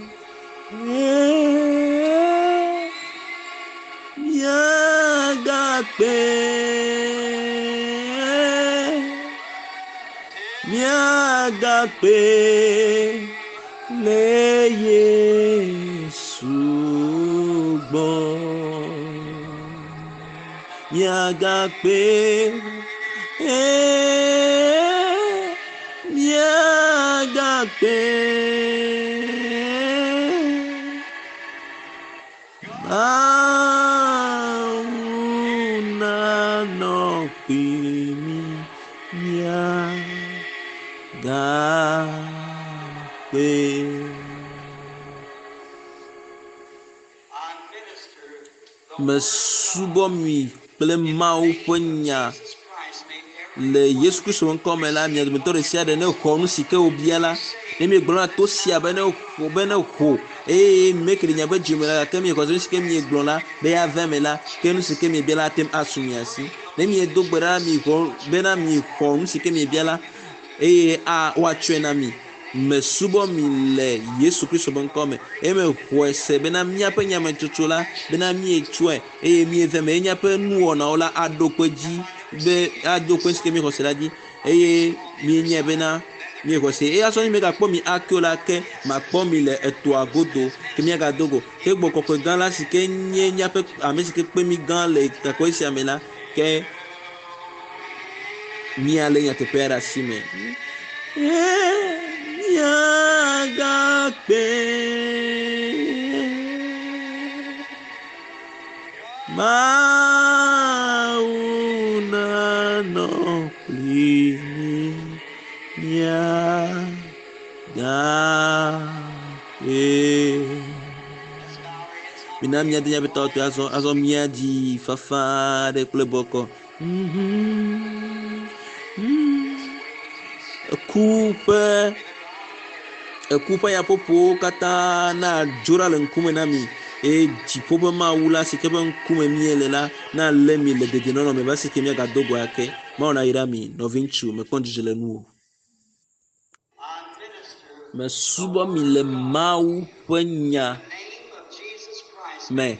miagakpe miagakpe le Yesu gbɔ miagakpe miagakpe Mawu nanɔ kpli mí miagakpe. Mesubɔ mi kple Mawu ƒe nya Le Yesu Kristo ƒe ŋkɔ me la, mia dometɔ ɖe sia ɖe ne xɔ nu si ke wobia la, ne miegblɔ na to sia be ne ho be ne ho eye meke ɖe miaƒe dzime la gake miexɔ se nu si ke miegblɔ la be ava eme la, ke nu si ke miebia la ate ŋu asu mia si. Ne miedo gbe ɖa mixɔ bena mixɔ nu si ke miebia la eye a woatsɔe na mi. Mesubɔ mi le Yesu Kristo ƒe ŋkɔ me eye mexɔe se bena míaƒe nyametsotso la bena míetsɔe eye míeve me eye míaƒe nuwɔnawo la aɖo kpe dzi be aɖo kpe si ke míexɔ se la dzi eye míenyae bena míexɔ se eye azɔ ne megakpɔ mi ake o la ke makpɔ mi le etoa godo ke míagado go ke gbɔ kɔkɔe gã la si ke nye míaƒe ame si ke kpe mí gã le takɔe sia me la ke míalé nyateƒea ɖe asi me. Míagakpe Mawu nanɔ kpli mí míagakpe. Mina míade míaƒe tɔtɔe azɔ azɔ míadzi fafa aɖe kple bɔkɔ. Mhm. Mm. Eku ƒe eku ƒe yaƒoƒowo katã nadzo ɖa le ŋkume na mi eye dziƒo ƒe Mawu la si ke ƒe ŋkume míele la nalé mi le dedienɔnɔ me va si ke míagado go ake. Mawu nayra mi nɔviŋutsu mekpɔ ŋudzedze le nuwò. Mesubɔ mi le Mawu ƒe nya me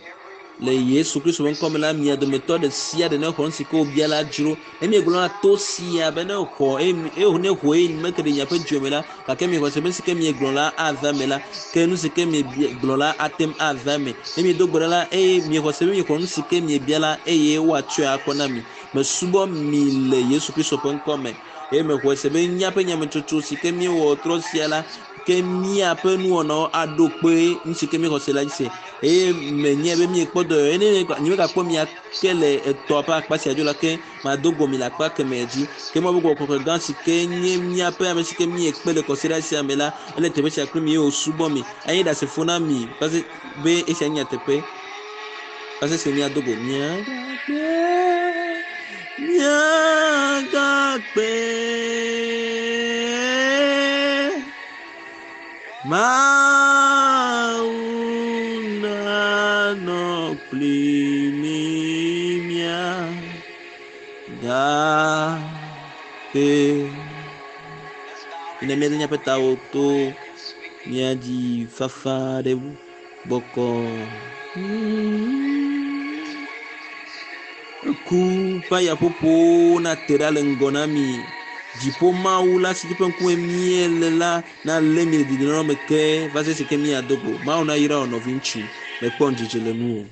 le Yesu Kristo ƒe ŋkɔ me la mia dometɔ ɖe sia ɖe ne xɔ nu si ke wobia la dzro. Ne miegblɔ na to sia be ne xɔ eye eye ne ho eye meke ɖe miaƒe dzime me la gake miexɔ se be nu si ke miegblɔ la ava eme la ke nu si ke miegblɔ la ate ŋu ava eme. Ne miedo gbe ɖa la eye miexɔ se be miexɔ nu si ke miebia la eye woatsɔe akɔ na mi. Mesubɔ mi le Yesu Kristo ƒe ŋkɔ me eye mexɔe se be míaƒe nyametsotso si ke míewɔ trɔ sia la ke míaƒe nuwɔnawo aɖo kpe nu si ke míexɔ se la dzi se eye menye be míekpɔ dɔ eye ne nyemegakpɔ mia ke le etɔa ƒe akpa sia dzo la ke mado go mi le akpa kemɛ dzi ke Mawu ƒe Gbɔgbɔ Kɔkɔe gã si ke nye míaƒe ame si ke míekpe le kɔsiɖa sia me la ele teƒe sia kpli mi eye wòsubɔ mi enye ɖasefo na mi va se be esia nye nyateƒe va se si míado go míagakpe míagakpe Mawu nanɔ kpli mí míagakpe. Ne míade míaƒe tawo to míadzi fafa ɖe bɔkɔ. Eku ƒe yaƒoƒowo nate ɖa le ŋgɔ na mi. Dziƒo Mawu la si ke ƒe ŋkume míele la nalé mi le dedienɔnɔ me ke va se si ke míado go. Mawu nayra wò nɔviŋutsu. Mekpɔ ŋudzedze le nuwò.